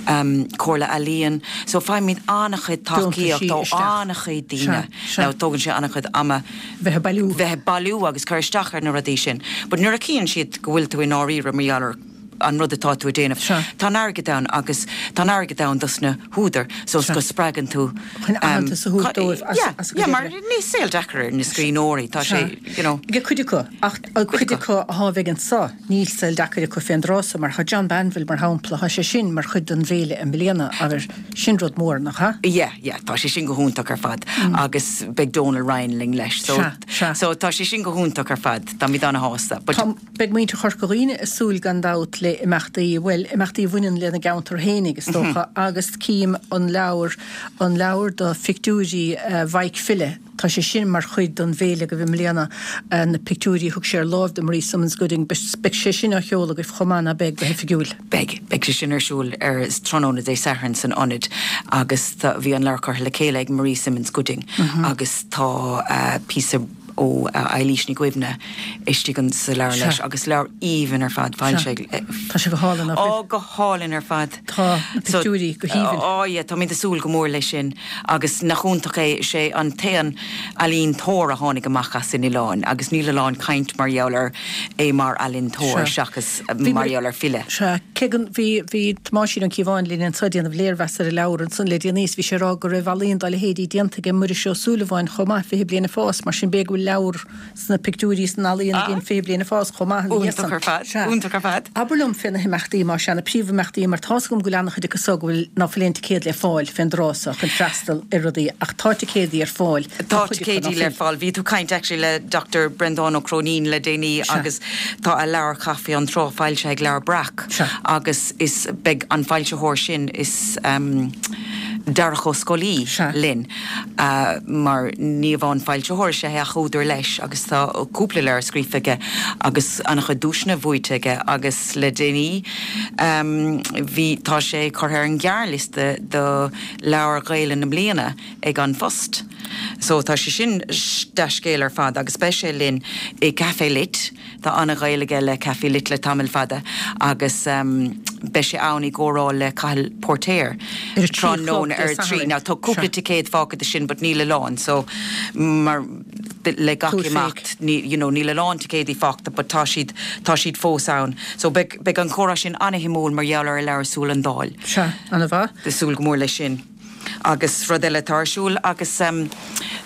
Comhairle Ealaíon, so faighimid an-chuid tacaíocht ó an-chuid daoine. Sea, sea. Now tógann sé an-chuid ama. Bheith ag bailiú. Bheith ag bailiú agus cur isteach ar na rudaí sin. But nuair a chíonn siad go bhfuil tú i ndáiríre mar gheall ar an rud atá tú a déanamh. Sea. Tá an airgead ann agus tá an airgead ann dos na húdair so Sea. go spreagann tú Chun aitheantas a thabhairt dóibh as Yeah, as a yeah, gcuid mar oibre. níl saol deacair ar na scríbhneoirí, tá Sea. sé, you know. Ag cuid acu, ach an Cuid cuid acu. acu atá bheidh anso, níl saol deacair acu fén dtráth so mar tá John Banville mar shampla, tá sé sin mar chuid den bhféile i mbliana agus sin rud mór, nach ea? Yeah, yeah, tá sé sin go hiontach ar fad agus beidh Donal Ryan linn leis so Sea, sea. so tá sé sin go hiontach ar fad, táimid ana-shásta. But Tá, beidh muintir Chorca Dhuibhne ag súil gan dabht le imeachtaí, bhuel, imeachtaí a bhaineann lena gceantar fhéinig, is dócha, agus cím an leabhar, an leabhar de phictiúirí Mhaidhc File, tá sé sin mar chuid den bhféile agaibh i mbliana, na pictiúirí a thug sé ar láimh do Marie Simonds Gooding, beidh sé sin á sheoladh agaibh chomh maith, ná beidh, go hoifigiúil? Beidh, beidh sé sin ar siúl ar tráthnóna Dé Sathairn san Ionad agus tá, bhí an leabhar curtha le chéile ag Marie Simonds Gooding agus tá píosa ó Eilís Ní Dhuibhne istigh an sa leabhar leis agus leabhar aoibhinn ar fad, bhain sé. Tá sé go hálainn, nach bhfuil? Ó, go hálainn ar fad. Tá na pictiúirí go haoibhinn. Ó, yeah, táimid ag súil go mór leis sin agus nach iontach é, is é an t-aon ealaíontóir a tháinig amach as an oileán agus níl a lán caint mar gheall air é mar ealaíontóir seachas mar gheall ar file. Sea, cé go, bhí, bhí Tomáisín Ó Cíobháin linn anseo ag déanamh léirmheas ar an leabhar ansan le déanaí is bhí sé ag rá go raibh ealaíon dá leithéidí déanta ag Muiris Ó Súilleabháin chomh maith, fiche bliain ag fás, mar sin b'fhéidir go bhfuil leabhar sna pictiúirí san ealaíon i gcionn fiche bliain ag fás chomh maith ina dhiaidh san. Iontach ar fad. Sea. Iontach ar fad. Abair liom fé na himeachtaí más ea, na príomhimeachtaí mar tá's agam go bhfuil an-chuid acu so go bhfuil ná fuil aon ticéad le fáil fén dtráth so chun freastal ar rudaí ach tá ticéadaí ar fáil do Tá chuid acu ticéidí ná le fuil. fáil. Bhí tú ag caint actually le Doctor Breandán Ó Cróinín le déanaí Sea. agus tá a leabhar Caife an Trá foilsithe ag Leabhar Breac Sea. agus is beidh an foilsitheoir sin is um, Darach Ó Scolaí Sea. linn uh, mar ní amháin foilsitheoir is é ach údar leis agus tá cúpla leabhar scríofa aige agus an-chuid duaiseanna buaite aige agus le déanaí um, bhí tá sé curtha ar an ghearrliosta do leabhar Gaeilge na bliana ag An Phost. So tá sé sin dea-scéal ar fad agus beidh sé linn i Café Lit Tá an-ghaol aige le Café Lit le tamall fada agus um, beidh sé ann i gcomhrá le Cathal Póirtéir Ar a trí a chlog tráthnóna Dé ar a trí. Sathairn. Now tá cúpla Sea. ticéad fágtha de sin, but níl a lán, so mar le gach Tabhair imeacht ní you know, níl a lán ticéidí fágtha, but tá siad tá siad fós ann. So beidh beidh an comhrá sin an-shuimiúil mar gheall ar a leabhar Súil an Daill. Sea, an-mhaith. Ag súil go mór leis sin. Agus rud eile atá ar siúl agus um,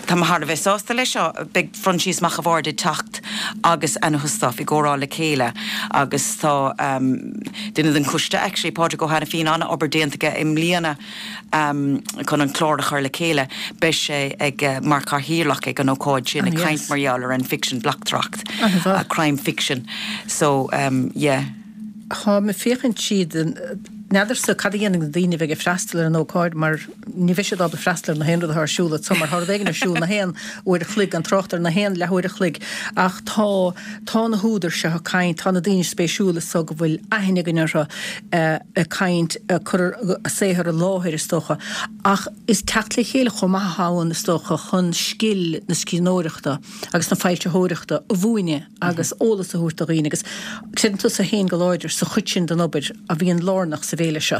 tá mé thar a bheith sásta leis seo beidh Proinsias Mac a' Bhaird ag teacht agus Anna Hustoft i gcomhrá le chéile agus tá um, duine den choiste actually Pádraig Ó hAiniféin an-obair déanta aige i mbliana um, chun an clár a chur le chéile beidh sé ag uh, mar chathaoirleach ag an ócáid sin ag Ah, caint yes. mar gheall ar an fiction bleachtaireacht An-mhaith. uh, crime fiction so um, yeah. Tá mé féachaint siad N'fheadarsa cad a dhéanfaidh na daoine bheidh ag freastal ar an ócáid mar ní bheidh siad ábalta freastal ar na haon rud atá ar siúl so mar tá rud éigin ar siúl na haon uair a chloig an trácht ar na haon leathuair a chloig ach tá tá na húdair seo ag caint tá na daoine spéisiúla so go bhfuil aithne againn orthu eh, ag caint ag cur a saothar i láthair is dócha ach is teacht le chéile chomh maith ann is dócha chun scil na scríbhneoireachta agus na foilsitheoireachta a mhúineadh agus eolas a thabhairt do dhaoine agus creideann tusa féin go láidir sa chuid sin den obair a bhíonn lárnach sa bhféile seo.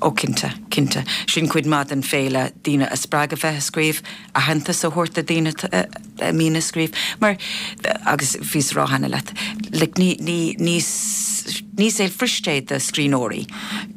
Ó cinnte, cinnte. Sin cuid maith den féile daoine a spreagadh bheith ag scríobh, aitheantas a thabhairt do daoine a mbíonn ag scríobh. Mar agus bhíos ag rá cheana leat, like, ní, ní, ní, ní saol fuirist é do scríbhneoirí.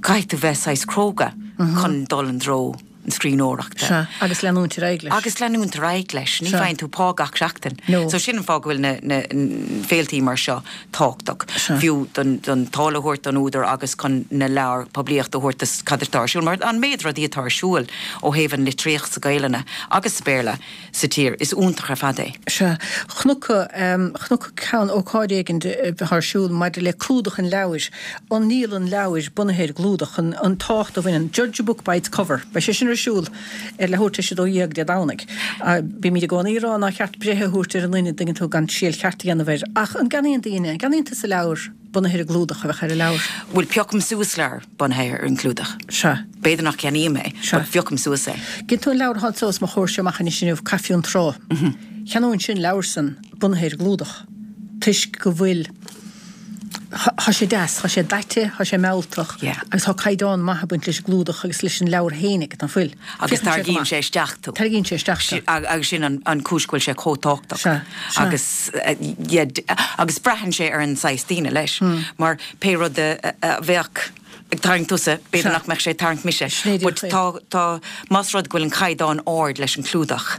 Caithfidh tú bheith saghas cróga chun dul i dtreo an scríbhneoireachta. Sea, agus leanúint ar aghaidh leis. Agus leanúint ar aghaidh leis, ní Sea. fhaigheann tú pá gach seachtain. No. So sin an fáth go bhfuil na, na, na féiltí mar seo tábhachtach. Sea. Fiú don, don táille a thabhairt don údar agus chun na leabhar poiblíocht a thabhairt cad atá ar siúl, mar an méid rudaí atá ar siúl ó thaobh an litríocht sa Ghaeilge agus sa Béarla sa tír is iontach ar fad é. Sea, chonac um, chonac ceann ócáid éigin ar siúl maidir le clúdach an leabhair, an ndíol an leabhair bunaithe ar gclúdach an, an tábhacht a bhaineann Judge a book by its cover. Beidh sé sin ar siúl ar leathuair tar éis a dó dhéag Dé Domhnaigh. Bímid i gcónaí ag rá nár cheart breith a thabhairt ar an duine dtuigeann tú gan triail cheart a dhéanamh air. Ach an gceannaíonn daoine, an gceannaíonn tusa leabhar bunaithe ar an gclúdach a bheadh ar an leabhar. Bhuel piocaim suas leabhar bunaithe ar an gclúdach. Sea. B'fhéidir nach gceannaím é, Sea. but piocaim suas é. Gin tú an leabhar atá os mo chomhair seo amach anois inniu Caife an Trá. Cheannóinn sin leabhar san bunaithe ar an gclúdach. Toisc go bhfuil Tá sé deas, tá sé daite, tá sé mealltach Yeah. agus tá caighdeán maith ag baint leis an gclúdach agus leis an leabhar féinig an bhfuil. Agus Féachann sé go tarraingíonn maith. sé isteach tú. Tarraingíonn sé isteach tú. Si- ag- agus sin an, an chúis go bhfuil sé chomh tábhachtach. Sea, sea. Agus, uh, yeah, d- agus braitheann sé ar an saghas daoine leis. Hmm. Mar pé rud a, a, a bheadh ag tarraingt tusa, b'fhéidir Sea. nach mbeadh sé ag tarraingt mise. Sin é But díreach é. tá, tá, más rud go bhfuil an caighdeán ard leis an clúdach.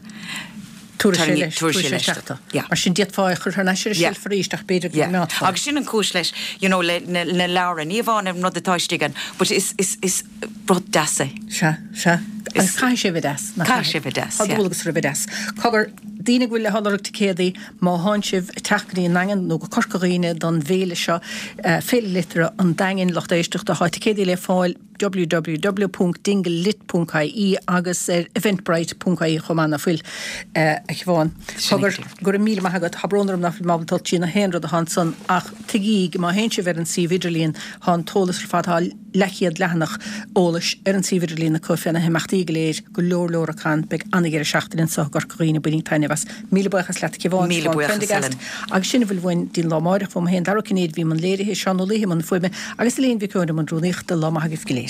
Tabharfaidh sé Tarraingí- leis, tabharfaidh tabharfaidh sé sé leis isteach tú. Yeah. Mar sin d'fhéadfá é a chur thar n-ais ar an Yeah. seilf arís ach b'fhéidir go Yeah. mbeadh. Agus sin an chúis leis, you know, le, na, na leabhra, ní amháin an rud atá istigh ann, but is, is, is rud deas é. Sea, sea. Agus caithfidh sé bheith deas. nach Caithfidh sé bheith deas, Tá yeah. dualgas ar a bheith deas. Cogar, daoine go bhfuil le lorg ticéadaí má thánn sibh ag teacht go dtí an Daingean nó go Corca Dhuibhne don bhféile seo uh, Féile Liteartha an Daingin lucht éisteachta tá ticéadaí le fáil www.dinglelit.ie agus ar eventbrite.ie chomh maith nach bhfuil uh, a Shiobhán. Sin Cogar é. go raibh míle maith agat tá brón orm nach bhfuil mé ábalta dul trí na haon rud atá ansan ach tuigí má théann sibh ar an suíomh idirlín tá an t-eolas ar fad tá leathchéad leathanach eolais ar an suíomh idirlín acu fé na himeachtaí go léir go leor leor acu beidh an-deireadh seachtaine anseo i gCorca Dhuibhne bainigí taitneamh as. Míle buíochas leat Siobhán Míle Siobhán buíochas, Prendergast. Helen. Agus sin a bhfuil uainn don lá amárach uaim féin Dara Ó Cinnéide bhí i mbun léirithe Seán Ó Laoithe i mbun fuaime agus Elaine Mhic Eoin i mbun rúnaíochta lá maith agaibh go léir.